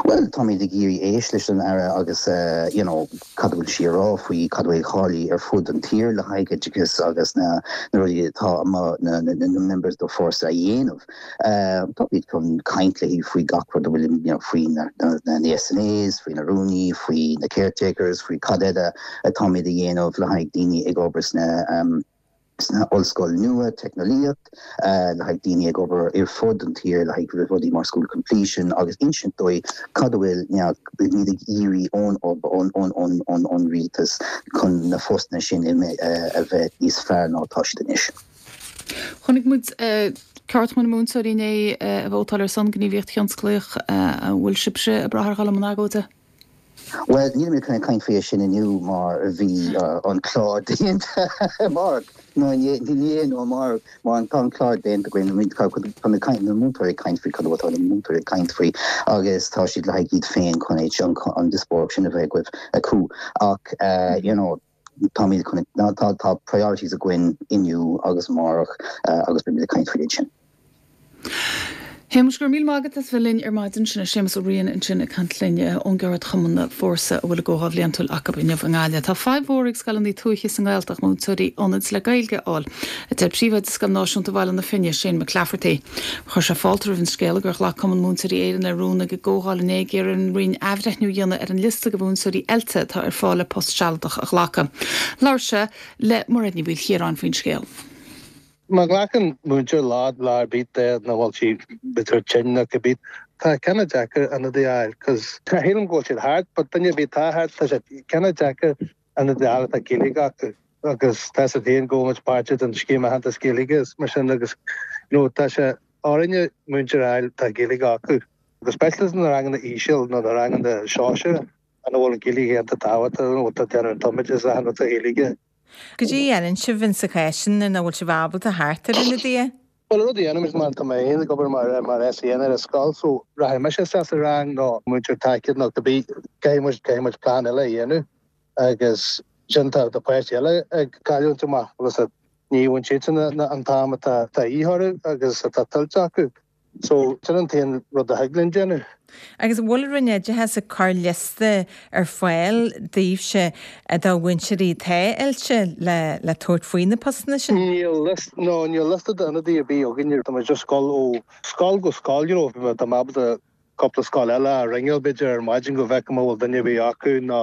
Well táimid ag iarraidh éisteacht leis an aire agus uh, you know, cad bhfuil sí rá faoi cad bhfuil cháí ar fud an tír le haghaidh oideachas agus na na rudaí atá na, na, na members do force a dhéanamh. Uh, Táimid chun caint léi faoi gach rud bhfuil you know, faoi na, na, na, na SNAs, faoi na rúnaí, faoi na caretakers, faoi cad eile atáimid a dhéanamh le haghaidh daoine ag obair sna um, sna ollscoil nua teicneolaíocht uh, le haghaidh daoine ag obair ar fud an tír le haghaidh rudaí mar school completion agus insint dóibh cad a bhfuil muid ag iarraidh ón ón ón ón ón ón rialtas chun na postanna sin uh, a bheith níos fearr ná tá siad anois. Chonaic muid ceardchumann na múinteoirí inné ag vótáil ar son gníomhaíocht thionsclaíoch an bhfuil sibhse ag brath ar dhul i mbun agóide. Well ní mé chun caint faoi sin inniu mar bhí uh, an clár déanta mar nó ní nó mar mar an tá clár déanta againn tá na múinteoirí caint faoi cad atá na múinteoirí caint faoi agus tá siad le iad féin chun an an díospóireacht sin a bheith acu ach uh, you know, tá tá tá priorities againn inniu agus amárach uh, agus beimid ag caint faoi sin. Shéamais go raibh míle maith agat as bheith linn ar maidin sin Séamus Ó Riain ansin ag caint linn ón gceardchumann Fórsa a bhfuil a gcomhdháil bhliantúil acu inniu i nGaillimh. Tá fadhb mhór ag scoileanna tuaithe sa nGaeltacht múinteoirí ionaid le Gaeilge a fháil. A deir príomhoide Scoil Náisiúnta Bhaile na Finne Shane McClafferty. Chuir sé fáilte roimh an scéala gur ghlac Cumann Múinteoirí Éireann le rún ag a gcomhdháil inné ag iarraidh ar an Roinn athbhreithniú a dhéanamh ar an liosta de mhúinteoirí oilte atá ar fáil le post sealadach a ghlacadh. Labhair sé le Mairéad Ní Mhaoilchiaráin faoin scéal. Má ghlacann múinteoir lá lá ar bith de na bhfuil sí b'fhéidir tinn nó cibé tá cineál deacair ionadaí a fháil cos tá shílim go bhfuil siad thart but duine ar bith atá thart tá sé cineál deacair ionadaí a fháil atá Gaeilge acu agus tá sé féin go muid páirteach den scéim aitheantas Gaeilge is mar sin agus you know tá sé orainne múinteoir a fháil tá Gaeilge acu go speisialta na ranganna íseal nó na ranganna sóisear ana bhfuil an Gaeilge iontach tábhachtach nó tá déanamh an tumoideachas a tá Gaeilge. Cad é a dhéanann sibh in sa chás sin nuair nach bhfuil sibh ábalta theacht ar ionadaithe? Well an rud a dhéanaim mar tá mé féin ag obair mar mar SEN ar an scoil so rachaidh mise isteach sa rang nó múinteoir tacaíochta nó cibé caithfidh muid caithfidh muid plean eile a dhéanamh agus sin tá na páistí eile ag cailliúint amach agus ní bhfuil siadsan an t-am atá de dhíth orthu agus atá tuillte acu. So sin an t-aon rud a thig linn déanamh. Agus an bhfuil an Roinn Oideachais ag cur liosta ar fáil daoibhse de mhúinteoirí atá oilte le le tabhairt faoi na postanna sin? Níl liosta, no, níl liosta d'ionadaí ar bith againn. Tá muid just ag dul ó scoil go scoil, you know, tá mé ábalta cúpla scoil eile a ringeáil b'fhéidir ar maidin go bhfeicim an bhfuil duine ar bith acu nó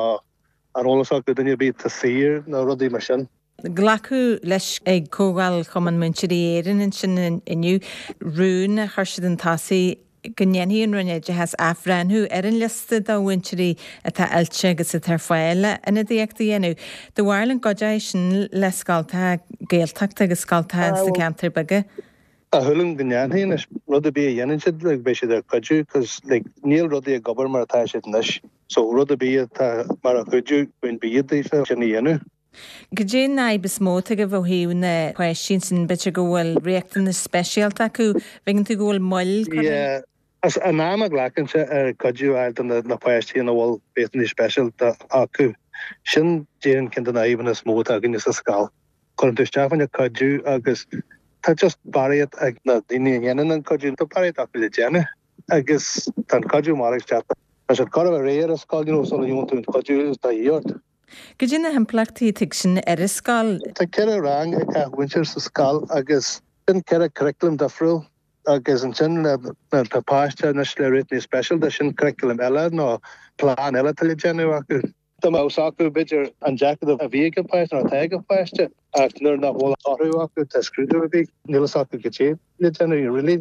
ar eolas acu duine ar bith atá saor nó rudaí mar sin. Glacadh leis ag Comhdháil Chumann Múinteoirí Éireann ansin inniu rún a chuir siad chun tosaigh go ndéanfaidh an Roinn Oideachais athbhreithniú ar an liosta de mhúinteoirí atá oilte agus atá ar fáil le ionadaíocht a dhéanamh. Do bharúil an gcuideoidh sin le scoltacha Gaeltachta agus scoltacha sna ceantair beaga? Tá súil agam go ndéanfaidh anois rud ar bith a dhéanann siad like beidh siad ar cuidiú cos like níl rudaí ag obair mar atá siad anois so rud ar bith atá mar a chuidiú faoin bia daofa sin a dhéanamh. Cad é an fhadhb is mó atá agaibh ó thaobh na páistí sin b'fhéidir go bhfuil riachtanais speisialta acu, bhfeiceann tú go bhfuil moill curtha. Yeah, as an am a ghlacann sé ar cuidiú a fháil do na páistí ina bhfuil riachtanais speisialta acu. Sin déarfainn ceann de na fadhbanna is mó atá againne sa scoil. Cuireann tú isteach fá choinne cuidiú agus tá just barraíocht ag na daoine a dhéanann an cuidiú, tá barraíocht acu le déanamh agus tá an cuidiú mairg isteach. Tá siad chóir a bheith réidh ar an scoil, you know, sula ngeobhann tú an cuidiú atá de dhíth ort. Goidé na himpleachtaí atá ag sin ar an scoil. Tá ceithre rang ag gach múinteoir sa scoil agus sin ceithre curriculum difriúil agus ansin tá páiste anois le riachtanais speisialta, sin curriculum eile nó plean eile atá le déanamh acu. Dá mbeadh a fhios acu, b'fhéidir, an deacracht a bhí ag an bpáiste nó atá ag an bpáiste ach nuair nach bhfuil toradh acu, tá scrúdú ar bith, níl a fhios acu cad é le déanamh really.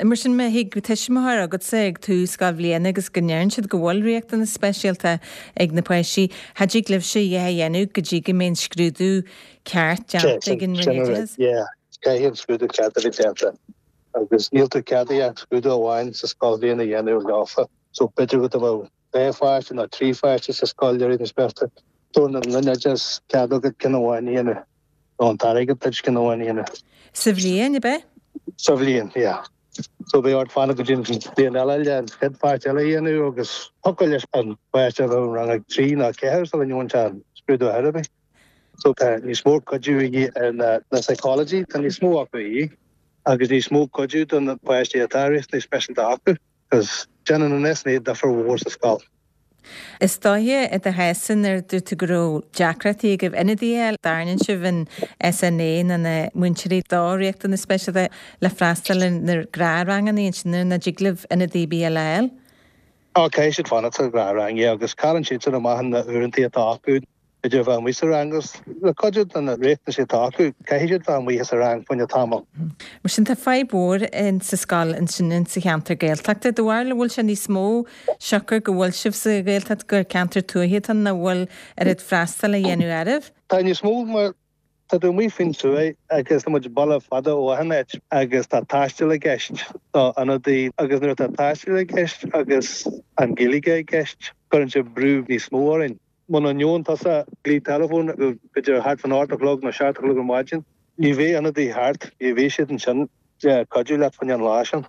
Mar sin, má thig tuismitheoir agatsa ag tús scoilbhliana agus go ndeireann siad go bhfuil riachtanas speisialta ag na páistí, cha dtig libhse a dhath a dhéanamh go dtí go mbeidh an scrúdú ceart déanta ag an Roinn Oideachais. Yeah, caithfidh an scrúdú ceart a bheith déanta agus níl tú ceadaithe ach scrúdú amháin sa scoilbhliain a dhéanamh leofa. So b'fhéidir go mbeadh dhá pháiste nó trí pháiste sa scoil le riachtanais speisialta. Tabharann an Roinn Oideachais cead agat ceann amháin a dhéanamh nó an t-airgead duit ceann amháin a dhéanamh. Sa bhliain, ab ea? Sa bhliain, yeah. So beidh ort fanacht go dtí an bhliain eile le an chéad pháiste eile a dhéanamh agus thiocfadh leis an bpáiste a bheith i rang a trí nó ceathair sula ndearna sé an scrúdú ar bith. So tá níos mó cuidiú a dhíth ar na na psychology, tá níos mó acu a dhíth agus níos mó cuidiú do na páistí atá riachtanais speisialta acu cos déanann an SNA difear mhór sa scoil. Is dóiche i do chás-sa nuair a dúirt tú go raibh deacrachtaí agaibh ionadaithe a fháil d'fhoireann sibh an SNA nó na múinteoirí do riachtanais speisialta le freastal ar na gnáthranganna ansin nuair nach dtig libh ionadaí ar bith eile a fháil. Á, caithfidh siad fanacht sa ghnáthrang, yeah, agus cailleann siadsan amach na uaireantaí atá acu, b'fhéidir a bheith amuigh sa rang agus le cuidiú de na riachtanais atá acu, caithfidh siad bheith amuigh sa rang fá choinne tamall. Mar sin tá fadhb mhór in sa scoil ansin in sa cheantar Gaeltachta. Do bharúil an bhfuil sé níos mó siocair go bhfuil sibh sa Ghaeltacht gur ceantar tuaithe atá ann nach bhfuil oiread freastal á dhéanamh oraibh? Tá níos mó mar Tá tú amuigh faoin tuath agus tá muid baile fada ó achan áit agus tá taisteal i gceist do ionadaí agus nuair atá taisteal i gceist agus an Ghaeilge i gceist cuireann sé brú níos mó orainn. Muna ngeobhann tusa glao teileafóin b'fhéidir thart fán ocht a chlog nó seacht a chlog ar maidin, ní bheidh ionadaí thart, ní bheidh siad ansin le cuidiú leat fá choinne an lá sin.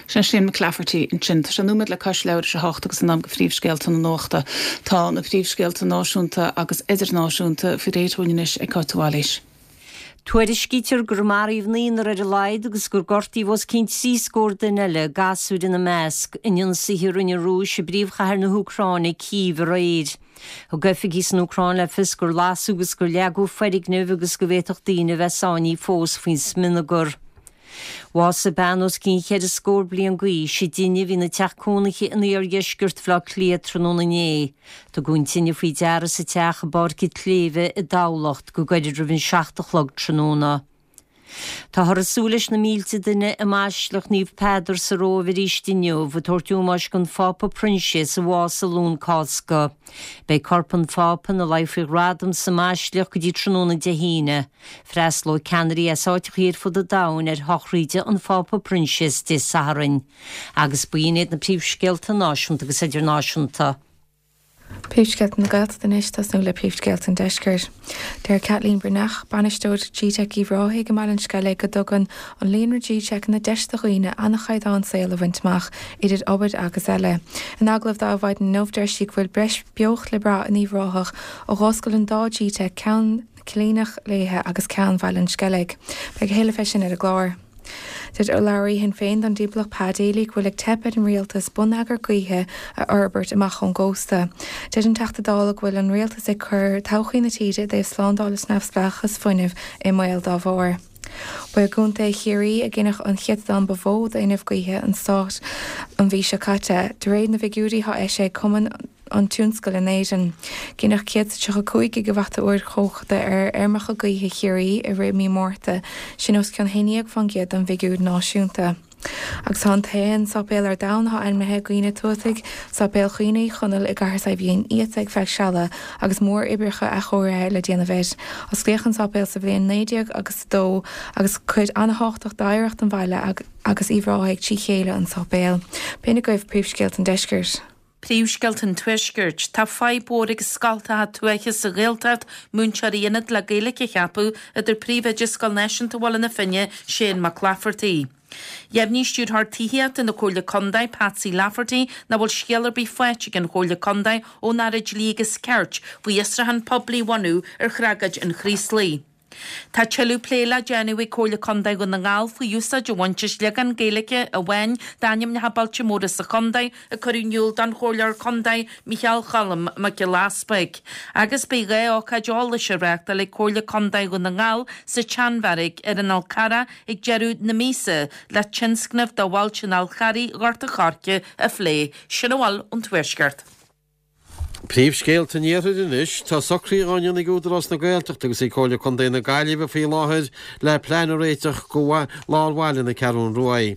Sin Shane McClafferty ansin. Tá sé nóiméad le cois leathuair tar éis a hocht agus in am do phríomhscéalta na nuachta. Tá na príomhscéalta náisiúnta agus idirnáisiúnta faoi réir dúinn anois ag Cáit de Bhailís. Tuairiscítear gur maraíodh naonúr ar a laghad agus gur gortaíodh os cionn trí scór duine eile, gasúir ina measc, in ionsaithe a rinne an Rúis i bpríomhchathair na hÚcráine, Cív, aréir. Thug oifigigh san Úcráin le fios gur lasadh agus gur leagadh foirgnimh agus go bhféadfadh daoine a bheith sáinnithe fós faoin smionagar. Bhásaigh bean os cionn cheithre scór bliain d'aois i dtine a bhí ina teach cónaithe in iardheisceart Bhaile Átha Cliath tráthnóna inné. Tugadh an tine faoi deara sa teach i bPáirc an tSléibhe i dTamhlacht go gairid roimh an seacht a chlog tráthnóna. Táthar ag súil leis na mílte duine i mBaisleac Naomh Peadar sa Róimh arís inniu, ag tabhairt ómóis don Phápa Proinsias a bhásaigh Luan Cásca. Beidh corp an Phápa ina luí faoi ghradam sa mBaisleac go dtí tráthnóna Dé hAoine. Freastalóidh ceannairí as áiteachaí ar fud an domhain ar shochraíde an Phápa Proinsias Dé Sathairn. Agus b'in iad na príomhscéalta náisiúnta agus idirnáisiúnta. Príomhscéalta na Gaeltachta anois, tosnú le príomhscéalta an Deiscirt. Deir Caitlín Breathnach, Bainisteoir G-Teic Uíbh Ráthaigh i mBaile an Sceilg go dtugann an líonra G-Teiceanna deis do dhaoine an-chaighdeán saoil a bhaint amach, idir obair agus eile. In agallamh do Adhmhaidin inniu deir sí go bhfuil breis beocht le brath in Uíbh Ráthach ó dh'oscail an dá G-Teic, ceann na Coillearnach Léithe agus ceann Bhaile an Sceilg. Beidh a thuilleadh fé sin ar an gclár. Deir urlabhraí Shinn Féin don dtimpeallacht Pa Daly go bhfuil ag teip ar an rialtas bonneagar gaoithe a fhorbairt amach ón gcósta. Deir an Teachta Dála go bhfuil an rialtas ag cur todhchaí na tíre i dtaobh slándáil is neamhspleáchas fuinnimh i mbaol dá bharr. Ba i gContae Chiarraí a gineadh an céatadán ba mhó d'fhuinneamh gaoithe an stáit an mhí seo caite, de réir na bhfigiúirí atá eisithe ag Cumann an Tionscail in Éirinn. Gineadh céad is tríocha cúig gigeavata-uair chumhachta ar fheirmeacha gaoithe Chiarraí i rith mí Márta, sin os cionn haon déag faoin gcéad den bhfigiúr náisiúnta. Agus tá an t-aon sáipéal ar domhan atá ainmnithe i gcuimhne tuataigh, Sáipéal Chaoine Uí Chonaill i gCathair Saidhbhín Uí iata ag feadh seala agus mór-oibreacha athchóirithe le déanamh air. Osclaíodh an sáipéal sa bhliain naoi déag agus a dó agus cuid an-thábhachtach d'oidhreacht an bhaile agus Uíbh Ráthaigh trí chéile an sáipéal. B'in agaibh príomhscéalta an deiscirt. Príomhscéalta an Tuaiscirt. Tá fadhb mhór ag scoltacha tuaithe sa Ghaeltacht múinteoirí ionad le Gaeilge a cheapadh, a deir Príomhoide Scoil Náisiúnta Bhaile na Finne, Shane Mac Laifeartaigh. Dheimhnigh Stiúrthóir Tithíochta na Comhairle Contae, Patsy Lafferty, nach bhfuil scéal ar bith faighte ag an Chomhairle Contae ón Aire Dlí agus Cirt faoi fhiosrúchán poiblí a bhunú ar thragóid an Chraoslaigh. Tá tuilleadh plé le déanamh ag Comhairle Contae Dhún na nGall faoi úsáid a bhaint as leagán Gaeilge amháin d'ainmneacha bailte móra sa chontae, a cuireadh in iúl don Chomhairleoir Contae Micheál Cholm Mac Giolla Easpaig. Agus beidh dhá ócáid eolais á reáchtáil ag Comhairle Contae Dhún na nGall sa tSeanbheairic ar an Fhál Carrach ag deireadh na míosa le tionscnamh do bhailte an Fháil Charraigh Ghort an Choirce a phlé. Sin a bhfuil ón Tuaisceart. Príomhscéalta an Iarthair anois. Tá socruithe á ndéanamh ag Údarás na Gaeltachta agus ag Comhairle Contae na Gaillimhe faoi láthair le plean a réiteach do lár bhaile na Ceathrún Rua.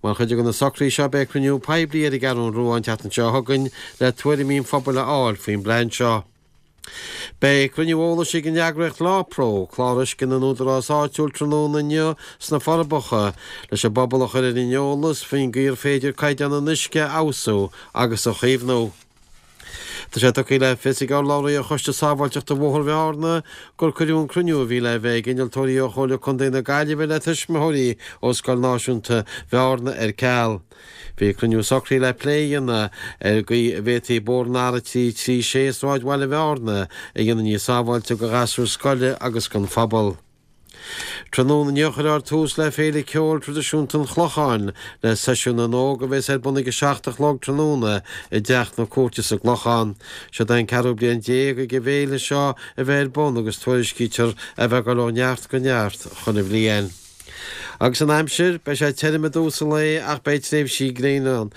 Mar chuid de na socruithe seo beidh cruinniú poiblí ar an gCeathrún Rua an tseachtain seo chugainn le tuairimí an phobail a fháil faoin bplean seo. Beidh cruinniú eolais ag an eagraíocht LawPro, clár uisce na n-údarás áitiúil tráthnóna inniu sna Forbacha, leis an bpobal a chur ar an eolas faoin gcaoi ar féidir caighdeán an uisce a fheabhsú agus a chaomhnú. Tá sé tugtha le fios ag urlabhraí ar Choiste Sábháilteachta Bhóthar Bhearna gur cuireadh an cruinniú a bhí le bheith ag innealtóirí ó Chomhairle Contae na Gaillimhe le tuismitheoirí ó Scoil Náisiúnta Bhearna ar ceal. Bhí cruinniú socraithe le plé a dhéanamh ar an gcaoi a bhféadfaí bóthar an R trí trí sé i sráidbhaile Bhearna a dhéanamh níos sábháilte do ghasúir scoile agus don phobal. Tráthnóna inniu cuirfear tús le Féile Ceoil Traidisiúnta an Chlocháin le Seisiún na nÓg a bheas ar bun ag a seacht a chlog tráthnóna i dTeach na Cúirte sa gClochán. Seo é an ceathrú bliain déag ag an bhféile seo a bheith ar bun agus tuairiscítear a bheith ag dul ó neart go neart chuile bhliain. Agus an aimsir, beidh sé tirim i dtús an lae ach beidh tréimhsí gréine ann.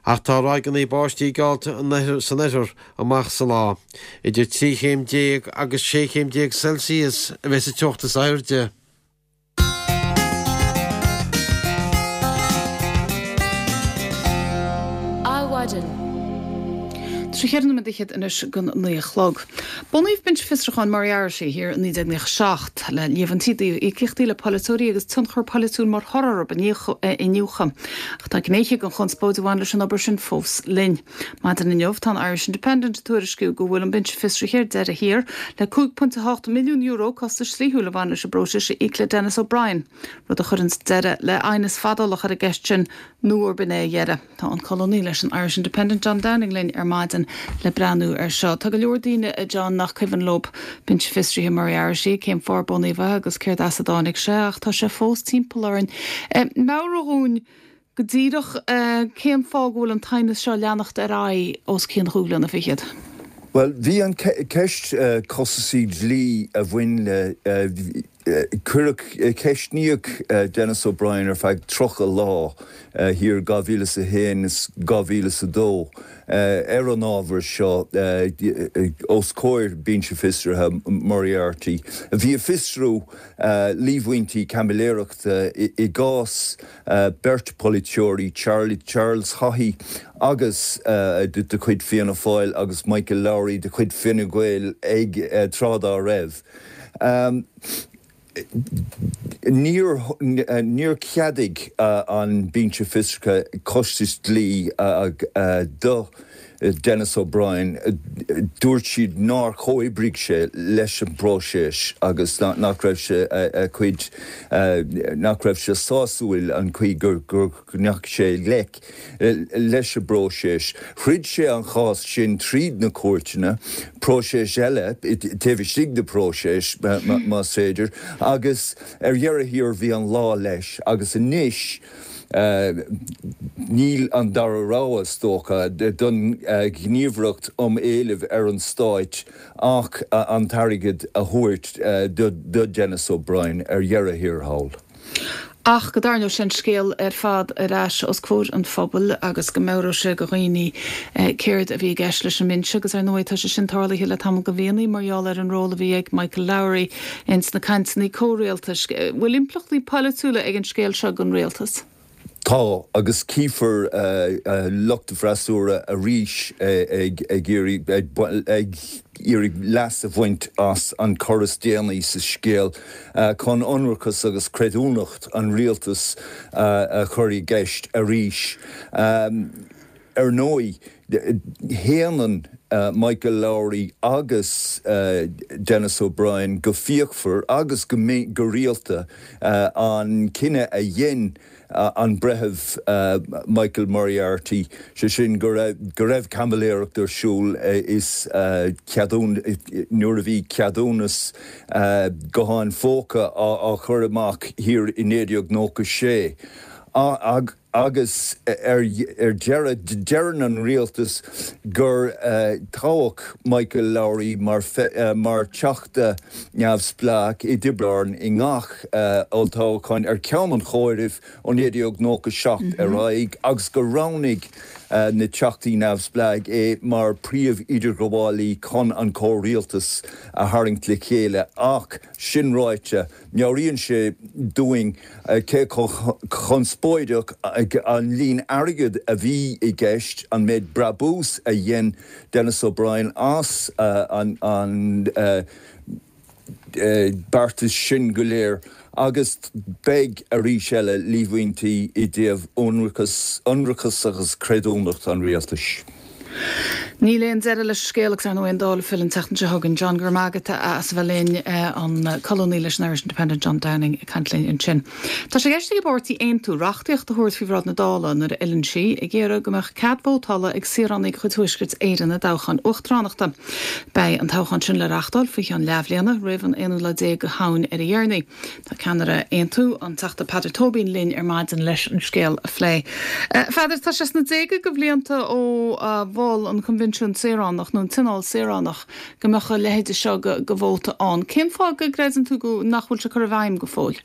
Ach tá ráigeanna báistí geallta san oirthear amach sa lá. Idir trí chéim déag agus sé chéim déag Celsius a bheas an teocht is airde. Adhmhaidin. Trí cheithre nóiméad fhichead anois don naoi a chlog. Bunaíodh Binse Fiosrúcháin Moriarty thiar i naoi déag nócha seacht le líomhaintí i dtaobh íocaíochtaí le polaiteoirí agus tionchar polaitiúil mar thoradh orthu a iniúchadh. Ach tá gnéithe den chonspóid a bhain leis an obair sin fós linn. Maidin inniu tá an Irish Independent ag tuairisciú go bhfuil an Binse Fiosraithe ar deireadh thiar le cúig pointe a hocht milliún euro costais dhlíthiúil a bhain leis an bpróiseas a íoc le Denis O'Brien, rud a chuireann deireadh le aighneas fadálach ar an gceist sin nó arb in é a dheireadh. Tá an colúnaí leis an Irish Independent John Downing linn ar maidin le breathnú air seo. Tá go leor daoine, a John, nach cuimhin leo Binse Fiosraithe Moriarty, cén fáth ar bunaíodh é agus céard as a dtáinig sé, ach tá sé fós timpeall orainn. Meabhraigh dhúinn go díreach cén fáth go bhfuil an t-aighneas seo ag leanacht ar aghaidh os cionn chúig bliana fichead. Bhuel, bhí an ceist costasaí dlí a bhain le cuireadh ceistníodh Denis O'Brien ar feadh tríocha lá thiar dhá mhíle is a haon is dhá mhíle is a dó ar an ábhar seo os comhair Binse Fiosraithe Moriarty. Bhí ag fiosrú líomhaintí caimiléireachta i gcás beirt polaiteoirí, Charlie Charles Haughey agus de chuid Fianna Fáil agus Michael Lowry de chuid Fine Gael ag tráth dá raibh. Níor níor cheadaigh an Binse Fiosraithe costais dlí do Denis O'Brien. Dúirt siad nár chomhoibrigh sé leis an bpróiseas agus nach raibh sé a chuid nach raibh sé sásúil an chaoi gur gur ndeachaigh sé i ngleic leis an bpróiseas. Throid sé an chás sin tríd na cúirteanna, próiseas eile taobh istigh de próiseas más féidir, agus ar dheireadh thiar bhí an lá leis agus anois níl an dara rogha is dócha don Ghníomhaireacht um Éilimh ar an Stáit ach an t-airgead a thabhairt do Denis O'Brien ar dheireadh thiar thall. Ach go dtarraingeodh sé an scéal ar fad ar ais os comhair an phobail agus go meabhródh sé do dhaoine céard a bhí i gceist leis an mbinse agus ar ndóigh tá sé sin tarlaithe le tamall de mhíonna mar gheall ar an ról a bhí ag Michael Lowry ins na cainteanna comhrialtais. Bhfuil impleachtaí polaitiúla ag an scéal seo don rialtas? Tá, agus cífear lucht an fhreasúra arís ag iarraidh ag iarraidh leas a bhaint as an cor is déanaí sa scéal chun ionracas agus creidiúnacht an rialtais a chur i gceist arís. Ar ndóigh, shéanann Michael Lowry agus Denis O'Brien go fíochmhar agus go rialta an cinneadh a dhein an Breitheamh Michael Moriarty, sé sin go raibh caimiléireacht ar siúl is nuair a bhí ceadúnas gutháin phóca á chur amach thiar i naoi déag nócha sé. Agus ar deireadh, deireann an rialtas gur toghadh Michael Lowry mar Theachta neamhspleách i dTiobraid Árann i ngach olltoghchán ar cheann an chomhairimh ó naoi déag nócha seacht ar aghaidh agus gur roghnaigh na Teachtaí neamhspleách é mar phríomh-idirghabhálaí chun an comhrialtas a tharraingt le chéile. Ach sin ráite, meabhraíonn sé dúinn cé chomh conspóideach an líon airgid a bhí i gceist, an méid brabús a dhein Denis O'Brien as an beartas sin go léir agus beidh arís eile líomhaintí i dtaobh ionracas agus creidiúnacht an rialtais. Níl aon deireadh leis an scéal agus ar ndóigh an Dáil ag filleadh an tseachtain seo chugainn. John, go raibh maith agat as a bheith linn, an colúnaí leis an Irish Independent John Downing ag caint linn ansin. Tá sé i gceist ag an bpáirtí Aontú reachtaíocht a thabhairt faoi bhráid na Dála nuair a fhilleann sí, ag iarraidh go mbeadh cead vótála ag saoránaigh de chuid Thuaisceart Éireann i dtoghchán uachtaránachta. Beidh an toghchán sin le reáchtáil faoi cheann leathbhliana, roimh an aonú lá déag de Shamhain ar a dheireanaí. Tá ceannaire Aontú, an Teachta Peadar Tóibín linn ar maidin leis an scéal a phlé. A Pheadair, tá sé sna déaga de bhlianta ó mhol an Coinbhinsiún Saoránach nó an Tionól Saoránach go mbeadh a leithéide seo de vóta ann. Cén fáth go gcreideann tú go nach bhfuil sé curtha i bhfeidhm go fóill?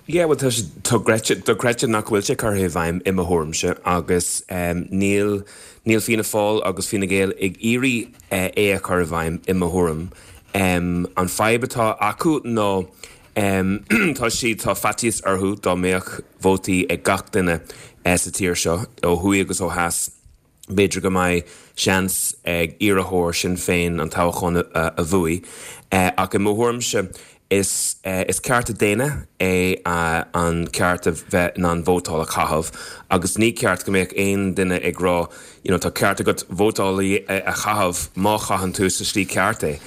Yeah, well tá sé dochreidte nach bhfuil sé curtha i bhfeidhm i mo thuairimse agus níl níl Fianna Fáil agus Fine Gael ag iarraidh é a chur i bhfeidhm i mo thuairim. An fadhb atá acu ná tá siad tá faitíos orthu dá mbeadh vótaí ag gach duine sa tír seo ó thuaidh agus ó theas. B'fhéidir go mbeidh seans ag iarrthóir Sinn Féin an toghchán a bhuaigh ach i mo thuairimse is is cearta daonna é an ceart a bheith in ann vótáil a chaitheamh agus ní ceart go mbeadh aon duine ag rá you know tá ceart agat vótáil a chaitheamh má chaitheann tú sa slí ceart é.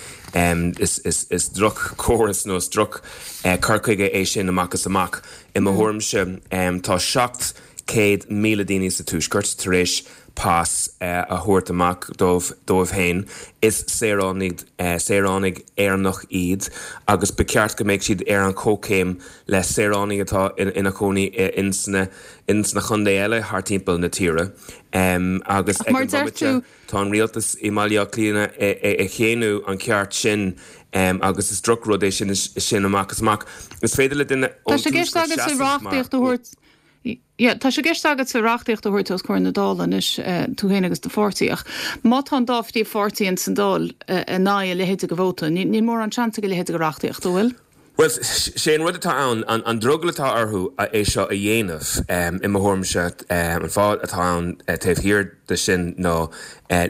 Is is is droch-chóras nó is droch cur chuige é sin amach is amach. I mo thuairimse tá seacht céad míle daoine sa Tuaisceart tar éis pas a thabhairt amach dóibh dóibh féin. Is saoránaigh saoránaigh Éireannach iad agus ba cheart go mbeadh siad ar an chomhchéim le saoránaigh atá ina chónaí ins na ins na contae eile thar timpeall na tíre. Agus ag an bhomaite tá an rialtas i mBaile Átha Cliath ag séanadh an ceart sin agus is drochrud é sin sin amach is amach. Is féidir le duine ón Tuaisceart seasamh mar Yeah, tá sé i gceist agatsa reachtaíocht a thabhairt os comhair na Dála anois, tú féin agus do pháirtí, ach má tá an dá phríomhpháirtí ins an Dáil in aghaidh a leithéide de vóta, níl mórán seans ag a leithéide de reachtaíocht, an bhfuil? Bhuel, sé an rud atá ann, an drogall atá orthu é seo a dhéanamh, i mo thuairimse, an fáth atá ann taobh thiar de sin ná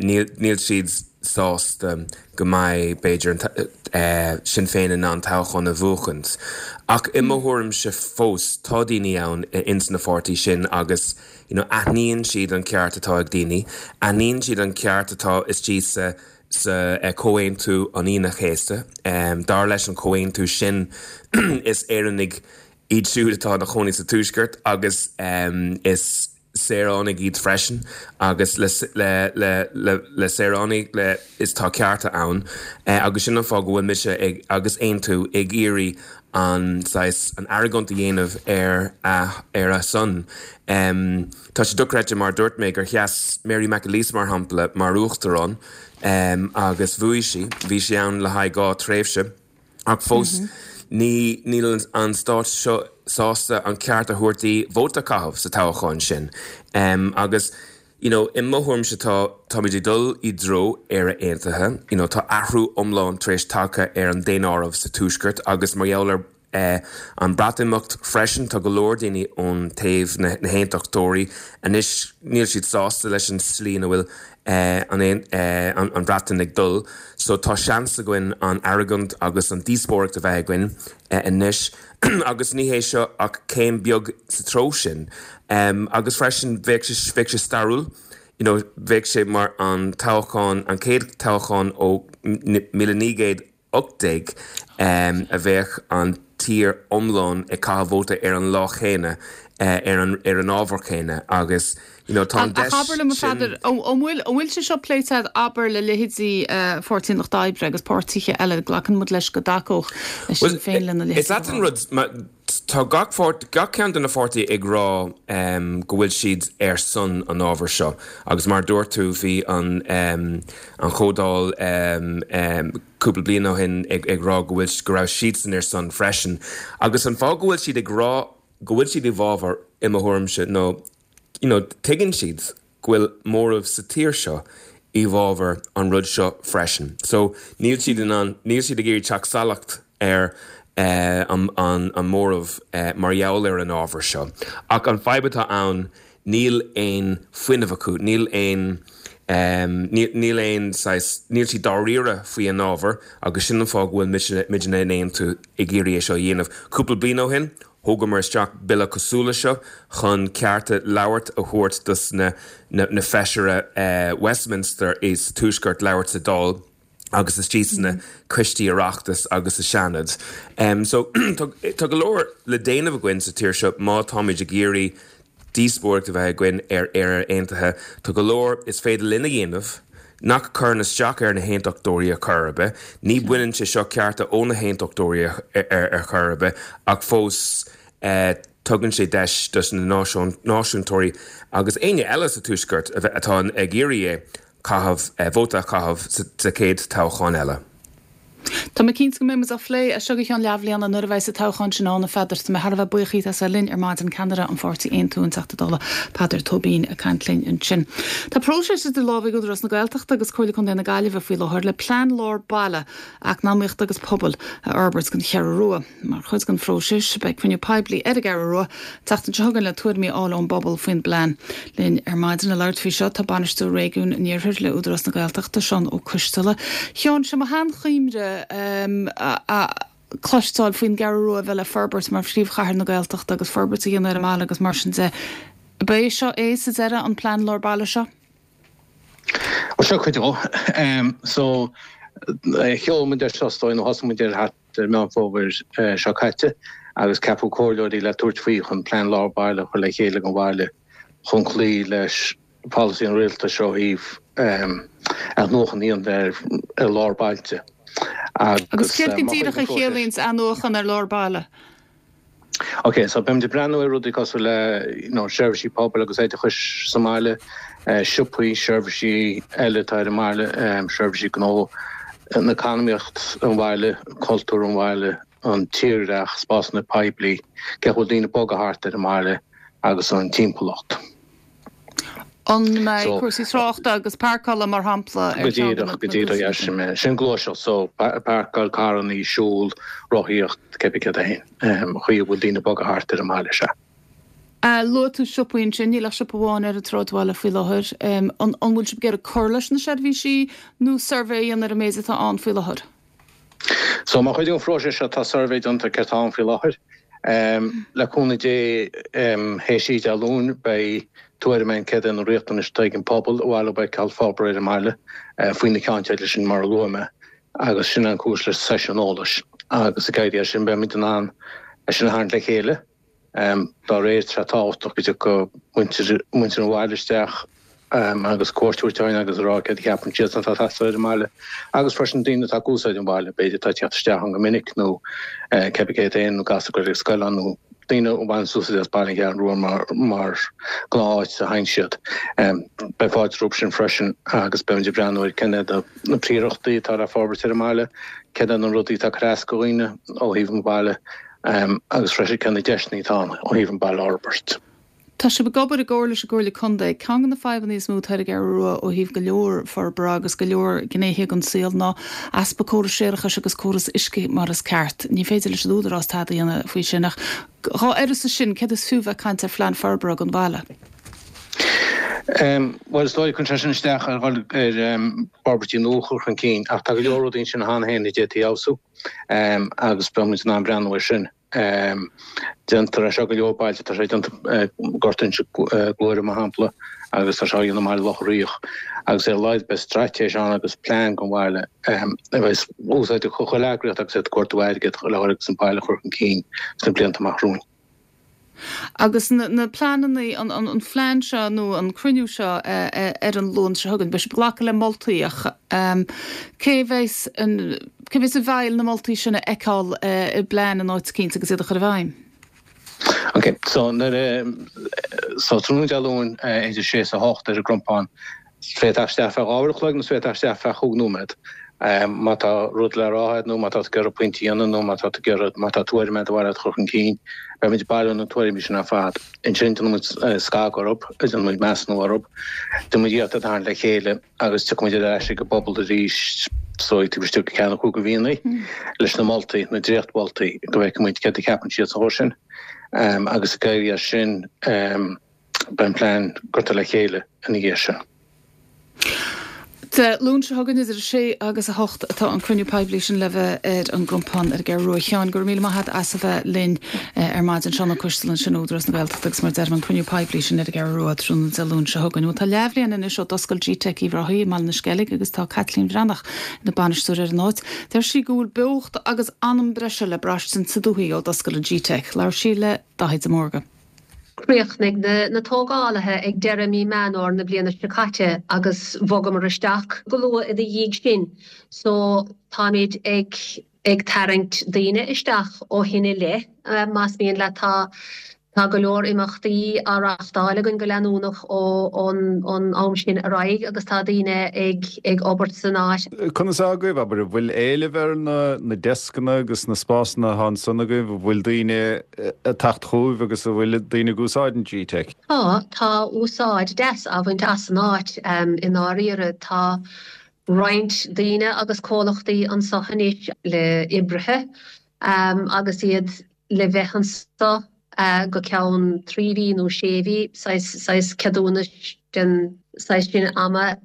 níl siad sásta go mbeidh, b'fhéidir, Sinn Féin in ann toghchán a bhuachaint. Ach i mo thuairimse fós, tá daoine ann ins na pháirtí sin agus you know aithníonn siad an ceart atá ag daoine, aithníonn siad an ceart atá istigh sa sa Chomhaontú an Aoine Chéasta. Dar leis an chomhaontú sin is Éireannaigh iad siúd atá ina chónaí sa Tuaisceart agus is saoránaigh iad freisin agus le le le le saoránaigh le is tá cearta ann agus sin an fáth go bhfuil mise ag agus Aontú ag iarraidh an saghas an argóint a dhéanamh ar a ar a son. Tá sé dochreidte mar dúirt mé gur sheas Mary McAleese mar shampla mar uachtarán agus bhuaigh sí, bhí sí ann le haghaidh dhá tréimhse. Ach fós, ní níl an stát seo sásta an ceart a thabhairt di vóta a chaitheamh sa toghchán sin. Agus, you know, i mo thuairimse tá, táimid ag dul i dtreo Éire Aontaithe, you know, tá athrú iomlán tar éis tagtha ar an daonáireamh sa Tuaisceart agus mar gheall ar an Breatimeacht freisin, tá go leor daoine ón taobh, na, na hAontachtóirí, anois níl siad sásta leis an slí ina bhfuil an an Bhreatain ag dul, so tá seans againn an argóint agus an díospóireacht a bheith againn anois agus ní hé seo ach céim beag sa treo sin. Agus freisin bheadh sé bheadh sé stairiúil, you know, bheadh sé mar an toghchán an chéad toghchán ó míle naoi gcéad ocht déag a bheadh an tír iomlán ag caitheamh vóta ar an lá chéanna ar an ar an ábhar céanna agus you know, tá an deis Ach abair liom a Pheadair, an bhfuil an bhfuil sé seo pléite abair le leithéidí Pháirtí an Lucht Oibre agus páirtithe eile glacann muid leis go dtacódh Sinn Féin lena leithéid. Is ait an rud tá gach gach ceann de na pháirtí ag rá um, go bhfuil siad ar son an ábhar seo agus mar dúirt tú bhí an um, an chomhdháil um, um, cúpla bliain ó shin ag, ag rá go bhfuil go raibh siadsan ar son freisin agus an fáth go bhfuil siad ag rá go bhfuil siad i bhfabhar i mo thuairimse nó you know, tuigeann siad go bhfuil móramh sa tír seo i bhfabhar an rud seo freisin. So níl siad in ann níl siad ag iarraidh teacht salach ar uh, an, an, an móramh uh, mar gheall ar an ábhar seo. Ach an fadhb atá ann níl aon fuinneamh acu, níl aon um, níl aon níl siad dáiríre faoi an ábhar agus sin an fáth go bhfuil muidne in Aontú ag iarraidh é seo a dhéanamh. Cúpla bliain ó shin, Thugamar isteach bille cosúil leis seo chun cearta labhairt a thabhairt dos na na, na feisire uh, Westminster is tuaisceart labhairt sa Dáil agus istigh sna mm. coistí Oireachtais agus sa Seanad. Um, so tá go leor le déanamh againn sa tír seo má táimid ag iarraidh díospóireacht a bheith againn ar Éire Aontaithe tá go leor is féidir linn a dhéanamh nach cuireann isteach ar na haontachtóirí ar chor ar bith, ní bhaineann sé seo cearta ó na haontachtóirí ar chor ar bith ach fós eh, tugann sé deis dos na náisiúntóirí agus éinne eile sa tuaisceart atá ag iarraidh é caitheamh eh, vóta a chaitheamh sa chéad toghchán eile. Tá mé cinnte go mbeidh muid á phlé as seo go ceann leathbhliana nuair a bheidh an toghchán sin ann a Pheadair tá mé thar a bheith buíoch as a bheith linn ar maidin ceannaire an pháirtí Aontú an Teachta Dála Peadar Tóibín ag caint linn ansin. Tá próiseas idir lámha ag Údarás na Gaeltachta agus Comhairle Contae na Gaillimhe faoi láthair le plean lár baile eacnamaíochta agus pobail a fhorbairt don Cheathrú Rua. Mar chuid den phróiseas beidh cruinniú poiblí ar an gCeathrú Rua tseachtain seo chugainn le tuairimí a fháil ón bpobal faoin bplean. Linn ar maidin le labhairt faoi seo tá bainisteoir réigiún an Iarthair le Údarás na Gaeltachta Seán Ó Coisteala. Sheáin sé mo sheanchuimhne um, a, a, cloisteáil faoin gCeathrú Rua bheith le forbairt mar phríomhchathair na Gaeltachta agus forbairt a dhéanamh ar an mbaile agus mar sin de. Ba é seo é sa deireadh an plean lár baile seo? Well seo cuid dó. Um, so sheol muid ar seo nó thosaigh muid air thart ar Meán Fómhair seo caite agus ceapadh comhairleoirí le tabhairt faoi chun plean lár baile a chur le chéile don bhaile chun cloí leis polasaí an rialtais ó thaobh athnuachan a dhéanamh ar lár bailte. Agus céard go díreach a chiallaíonn athnuachan ar lár baile? Ok, so beimid ag breathnú ar rudaí cosúil le you know, seirbhísí pobail agus oideachais sa mbaile, eh, siopaí, seirbhísí eile atá ar an mbaile, um, seirbhísí gnó, an eacnamaíocht an bhaile, cultúr an bhaile, an tírdhreach, spásanna poiblí, cé bhfuil daoine ag bogadh thart ar an mbaile agus an timpeallacht. An mbeidh cúrsaí tráchta agus páirceála mar shampla ar Go díreach, go díreach, yeah, sin é. Sin gluaiseacht, so páirceáil, carranna, siúl, rothaíocht, cibé céard é féin, an chaoi a bhfuil daoine ag bogadh thart ar an mbaile, sea. Luaigh tú siopaí ansin, níl ach siopa amháin ar an tsráidbhaile faoi láthair. An bhfuil sibh ag iarraidh cur leis na seirbhísí nó suirbhé a dhéanamh ar an méid atá ann faoi láthair? So mar chuid den phróiseas seo tá suirbhé déanta céard atá ann faoi láthair. Le cúnamh Dé théis Dé Luain beidh tuairim againn céard é na riachtanais atá ag an pobal a bhaile beidh ceal forbartha ar an mbaile faoi na ceannteidil sin mar a luaigh mé agus sin an cúis le seisiún eolais agus ag éirí as sin beimid in ann é sin a tharraingt le chéile. Dá réir tá sé tábhachtach go dtiocfadh muintir muintir an bhaile isteach agus cuairt a thabhairt orainn agus a rá céard a cheapann siadsan atá ag teastáil ar an mbaile agus freisin daoine atá ag úsáid an bhaile, b'fhéidir atá ag teacht isteach ann go minic nó cébí céard é nó gasúir ag dul ag scoil ann nó daoine a bhaineann úsáid as Baile an Cheathrú Rua mar mar ghnáth-áit a théann siad. Beidh fáilte rompu sin freisin agus beimid ag breathnú ar cén iad na príorachtaí atá le forbairt ar an mbaile, céard iad na rudaí atá ag cur as do dhaoine ó thaobh an bhaile agus freisin cé na deiseanna atá ann ó thaobh an baile a fhorbairt. Tá sibh ag obair i gcomhar leis an gComhairle Contae. Ceann de na fadhbanna is mó atá ar an gCeathrú Rua ó thaobh go leor forbartha agus go leor gnéithe den saol ná easpa córas séarachais agus córas uisce mar is ceart. Ní féidir leis an Údarás tada a dhéanamh faoi sin ach dhá uireasa sin, céard is fiú bheith ag caint ar phlean forbartha don bhaile? Bhuel, is dóigh, cuireann sé sin isteach ar dhul ar fhorbairtí nua a chur chun cinn, ach tá go leor rudaí ansin cheana féin a d'fhéadfaí a fheabhsú agus beidh muid in ann breathnú air sin. Déantar é seo go leor bailte, tá sé déanta i nGort Inse Guaire, mar shampla, agus tá sé á dhéanamh i mBaile Locha Riach, agus ar a laghad beidh straitéis ann agus plean don bhaile a bheidh úsáideach do chuile eagraíocht agus iad ag cuartú airgid le dhul agus an baile a chur chun cinn sna blianta amach romhainn. Agus na pleananna, an phlean seo nó an cruinniú seo ar an Luan seo chugainn, beidh sibh ag glacadh le moltaí ach cé bheas cé bheas i bhfeighil na moltaí sin a fheiceáil i bplean in áit eicínt agus iad a chur i bhfeidhm? Ok, so nuair a, so tráthnóna Dé Luain idir sé is a hocht ar an gCrompán, Is féidir teacht isteach feadh dhá uair a chloig nó is féidir teacht isteach feadh chúig nóiméad. Má tá rud le rá agat nó má tá tú ag iarraidh pointe a dhéanamh nó má tá tú ag iarraidh, má tá tuairim agat ar mhaith leat a chur chun cinn, beimid ag bailiú na tuairimí sin ar fad. Ansin déanfaidh muid scagadh orthu, déanfaidh muid measúnú orthu, déanfaidh muid iarracht iad a tharraingt le chéile agus tiocfaidh muid ar ais ag an bpobal arís is dóigh taobh istigh de ceann nó cúig de mhíonna leis na moltaí, na dréachtmholtaí, go bhfeicfidh muid céard a cheapann siad sa chor sin agus ag éirí as sin. Beidh an plean curtha le chéile ina dhiaidh sin. Dé Luain seo chugainn idir a sé agus a hocht atá an cruinniú poiblí sin le bheith ar an gCrompán ar an gCeathrú Rua. A Sheáin, go raibh míle maith agat as a bheith linn ar maidin. Seán Ó Coistealbha ansin ó Údarás na Gaeltachta agus mar a deirim an cruinniú poiblí sin ar an gCeathrú Rua tráthnóna Dé Luain seo chugainn. Bhuel tá leathbhliain anois ó d'oscail G-Teic Uíbh Ráthaigh i mBaile na Sceilg agus tá Caitlín Bhreathnach ina bainisteoir ar an áit. Deir sí go bhfuil beocht agus anam breise le braistint sa dúthaigh ó d'oscail an G-Teic. Labhair sí le Daithí de Mórdha. Chríochnaigh na tógálaithe ag deireadh mí Meán Fhómhair na bliana seo caite agus bhogamar isteach go luath ina dhiaidh sin so táimid ag ag tarraingt daoine isteach ó shin i leith más mian leat. Tá tá go leor imeachtaí á reáchtáil againn go leanúnach ó ón ón am sin ar aghaidh agus tá daoine ag ag obair san áit. Conas atá agaibh, abair, an bhfuil éileamh ar na na deascanna agus na spásanna atá ansan agaibh, an bhfuil daoine ag teacht chugaibh agus an bhfuil daoine ag úsáid an G-Teic? Tá, tá úsáid deas á bhaint as an áit i ndáiríre. Tá roinnt daoine agus comhlachtaí anso anois le oibrithe agus iad le bheith anso go ceann trí mhí nó sé mhí, saghas, saghas ceadúnais den saghas sin ama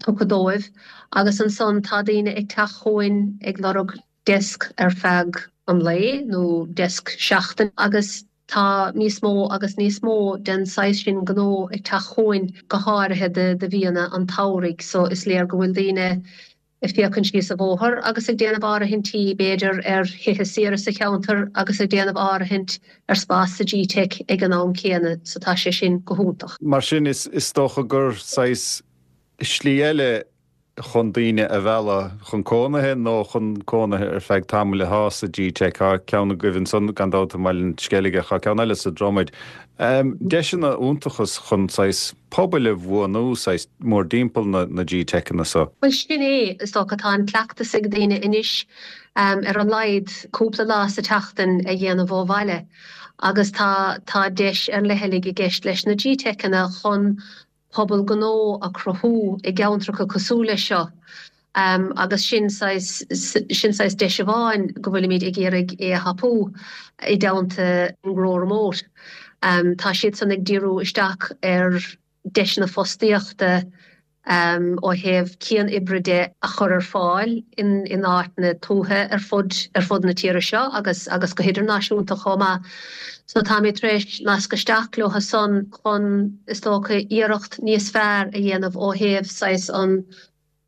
tugtha dóibh agus ansan tá daoine ag teacht chugainn ag lorg deasc ar feadh an lae nó deasc seachtaine agus tá níos mó agus níos mó den saghas sin gnó ag teacht chugainn go háirithe do do mhíonna an tsamhraidh so is léir go bhfuil daoine ag féachaint síos an bhóthar agus ag déanamh áirithintí b'fhéidir ar thithe saoire sa cheantar agus ag déanamh áirithint ar spás sa G-Teic ag an am céanna so tá sé sin go hiontach. Mar sin is is dócha gur saghas slí eile chun daoine a mhealladh chun cónaithe nó chun cónaithe ar feadh tamaill atá sa G-Teic. Tá ceann agaibh ansan gan dabht i mBaile an Sceilg ach tá ceann eile sa Dromaid. Deiseanna iontacha chun saghas pobail a bhunú saghas mórdtimpeall na na G-Teiceanna so. Bhuel sin é, is dócha tá an cleachtas ag daoine anois ar a laghad cúpla lá sa tseachtain a dhéanamh ó bhaile agus tá tá deis ar leithligh i gceist leis na G-Teiceanna chun pobal gnó a chruthú i gceantracha cosúil leis seo agus sin saghas sin saghas deis amháin go bhfuilimid ag iarraidh é a thapú i dteannta Grow Remote. Tá siadsan ag díriú isteach ar deiseanna fostaíochta ó thaobh cian-oibre de a chur ar fáil in in áiteanna tuaithe ar fud ar fud na tíre seo agus agus go hidirnáisiúnta chomh maith. So táimid tar éis nasc isteach leo san chun is dócha iarracht níos fearr a dhéanamh ó thaobh saghas an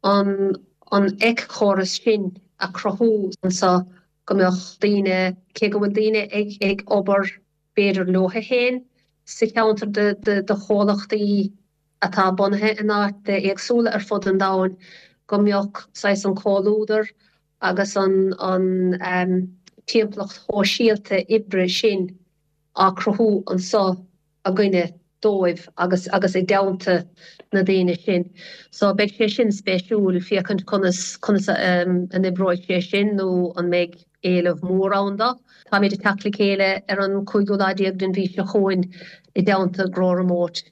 an an éiceachóras sin a chruthú anso go mbeadh daoine, cé go bhfuil daoine ag ag obair b'fhéidir leo féin sa cheantar de de de chomhlachtaí atá bunaithe in áiteanna éagsúla ar fud an domhain, go mbeadh saghas an comhluadar agus an an timpeallacht shóisialta oibre sin á cruthú anso againne dóibh agus agus i dteannta na daoine sin. So beidh sé sin spéisiúil féachaint conas conas a an oibreoidh sé sin nó an mbeidh éileamh mór ann dó. Táimid ag teacht le chéile ar an cúigiú lá déag den mhí seo chugainn i dteannta Grow Remote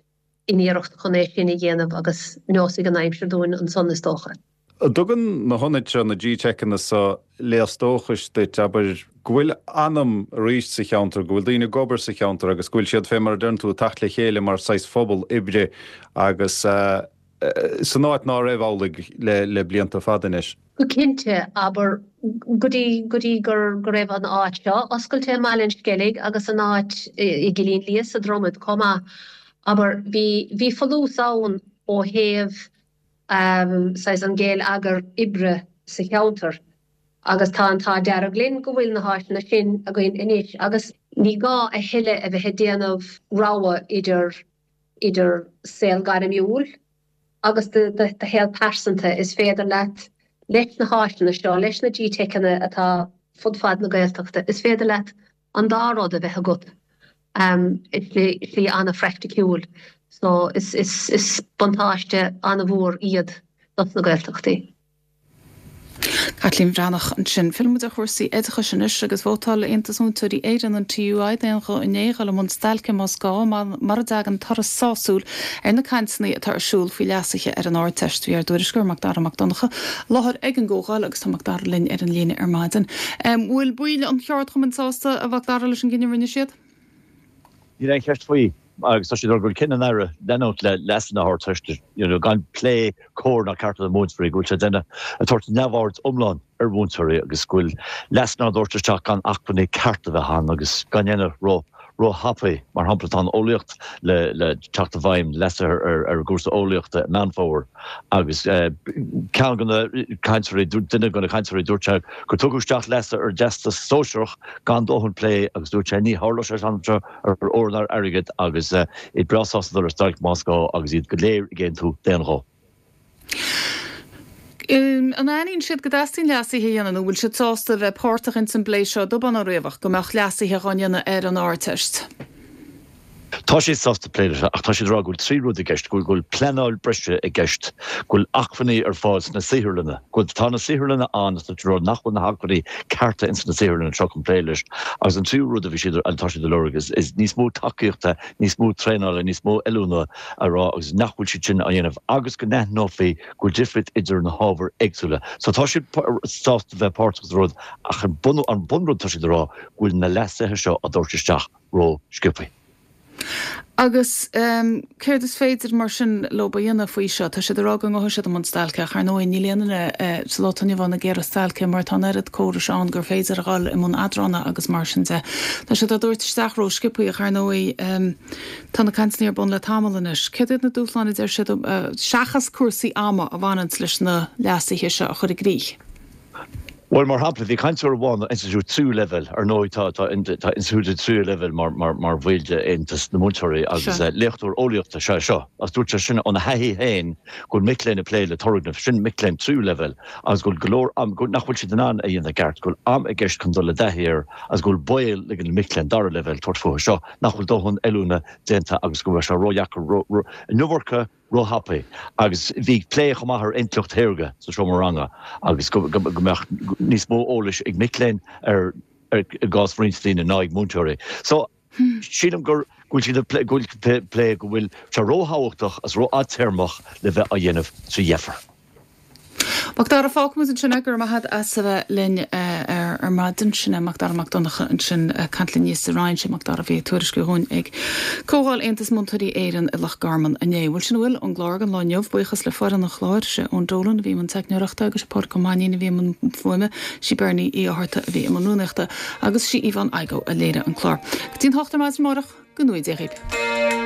in iarracht chun é sin a dhéanamh agus neosfaidh an aimsir dúinn ansan is dócha. An dtugann na hionaid seo, na G-Teiceanna seo, léas dóchais duit, abair, go bhfuil anam arís sa cheantar, go bhfuil daoine ag obair sa cheantar agus go bhfuil siad, fé mar a deireann tú, ag teacht le chéile mar saghas phobal oibre agus san áit ná raibh amhlaidh le blianta fada anois? Go cinnte, abair, go dtí, go dtí gur, go raibh an áit seo oscailte i mBaile an Sceilg agus an áit i gCillín Liath sa Dromad chomh maith, abair, bhí, bhí folús ann ó thaobh saghas an gheilleagar oibre sa cheantar agus tá an t-ádh dearg linn go bhfuil na háiseanna sin againn anois agus ní gá a thuilleadh a bheith ag déanamh rogha idir idir saol gairmiúil agus do do shaol pearsanta. Is féidir leat leis na háiseanna seo, leis na G-Teiceanna atá fud fad na Gaeltachta, is féidir leat an dá rud a bheith agat i slí an-phraiticiúil. So is is buntáiste an-mhór iad dos na Gaeltachtaí. Caitlín Bhreathnach ansin. Fillfidh muid ar chúrsaí oideachais anois agus vótáil Aontas Múinteoirí Éireann, an TUI, d'aon ghuth inné dhul i mbun stailce más gá mura dtagann toradh sásúil ar na cainteanna atá ar siúl faoi leasuithe ar an Ardteist. Bhí ár dtuairisceoir Macdara Mac Donncha i láthair ag an gcomhdháil agus tá Macdara linn ar an líne ar maidin. Bhfuil baill an cheardchumainn sásta, a Mhacdara, leis an gcinneadh a rinne siad? Níl aon cheist faoi agus tá siad ag rá go bhfuil cinneadh an Aire leanúint le leasuithe na hArdteiste you know gan plé cóir ná ceart le múinteoirí, go bhfuil sé ag déanamh ag tabhairt neamhaird iomlán ar mhúinteoirí agus go bhfuil leasuithe á dtabhairt isteach gan acmhainní ceart a bheith ann agus gan dhéanamh ró ró-thapaidh. Mar shampla tá an eolaíocht le le teacht i bhfeidhm, leasuithe ar ar an gcúrsa eolaíochta i Meán Fómhair agus ceann de na cainteoirí, duine de na cainteoirí dúirt sé gur tugadh isteach leasuithe ar an dTeastas Sóisearach gan dóthain plé agus dúirt sé ní tharlódh sé seo ar ór ná ar airgead agus iad breá sásta dul ar stailc más gá agus iad go léir ag aontú d'aon ghuth. An aithníonn siad go dteastaíonn leasuithe a dhéanamh nó bhfuil siad sásta a bheith páirteach ins an bplé seo Dubhán Ó Riabhach go mbeadh leasuithe dhá ndéanamh ar an Ardteist? Tá siad sásta plé leis ach tá siad ag rá go bhfuil trí rud i gceist, go bhfuil pleanáil breise i gceist, go bhfuil acmhainní ar fáil sna saotharlanna, go bhfuil, tá na saotharlanna ann ach tá siad ag rá nach bhfuil na hacmhainní cearta ins na saotharlanna seo chun plé leis. Agus an tríú rud a bhí siad, atá siad ag lorg is, is níos mó tacaíochta, níos mó traenála, níos mó oiliúna a rá agus nach bhfuil siad sin á dhéanamh agus go n-aithneofaí go bhfuil difríocht idir na hábhair éagsúla. So tá siad sásta bheith páirteach sa rud ach an bun, an bunrud tá siad ag rá go bhfuil na leasuithe seo á dtabhairt isteach ró-sciobthaí. Agus céard is féidir mar sin leo a dhéanamh faoi seo? Tá siad ag rá go ngabhfaidh siad i mbun stailce ach ar ndóigh níl aon duine sa lá atá inniu ann ag iarraidh stailce mar tá an oiread córais ann gur féidir a dhul i mbun eadrána agus mar sin de. Tá siad á dtabhairt isteach ró-sciobthaí ach ar ndóigh tá na cainteanna ar bun le tamall anois. Céard iad na dúshláin a deir siad seachas cúrsaí ama a bhaineanns leis na leasuithe seo a chur i gcrích? Bhuel, mar shampla, bhí cainteoir amháin ó institiúid tríú leibhéal, ar ndóigh tá tá tá institiúidí tríú leibhéal mar mar mar bhaill d'Aontas na Múinteoirí agus léachtóir eolaíochta is ea é seo, agus dúirt sé sin óna thaithí féin go bhfuil mic léinn ag plé le turgnaimh, sin mic léinn tríú leibhéal, agus go bhfuil go leor am, go nach bhfuil siad in ann a dhéanamh i gceart, go bhfuil am i gceist chun dul i dtaithí air agus go bhfuil baol ag na mic léinn dara leibhéal tabhairt fúthu seo, nach bhfuil dóthain oiliúna déanta agus go bhfuil sé ródheacair, ró ró an iomarca. róthapaidh agus bhí plé chomh maith ar intleacht shaorga sa seomra ranga agus go mbeadh níos mó eolais ag mic léinn ar i gcás roinnt daoine ná ag múinteoirí. So sílim gur go bhfuil siad ag plé go bhfuil plé go bhfuil sé róthábhachtach agus rófhadtéarmach le bheith á dhéanamh trí dheifir. Macdara, Fágfaimid ansin é, go raibh maith agat as a bheith linn ar maidin. Sin é Macdara Mac Donncha ansin ag caint linn thíos sa Rinn. Sé Macdara a bhí ag tuairisciú dhúinn ag Comhdháil Aontas Múinteoirí Éireann i Loch Garman inné. Bhuel sin a bhfuil ón gclár don lá inniu. Buíochas le foireann an chláir. Sé Eoin Dolan a bhí i mbun teicneoireachta agus sé Pádraig Ó Mainnín a bhí i mbun fuaime. Sí Bernie Uí Fhátharta a bhí i mbun rúnaíochta agus sí Yvonne Igoe a léirigh an clár. Go dtí an hocht ar maidin amárach, go ngnóthaí Dia dhaoibh.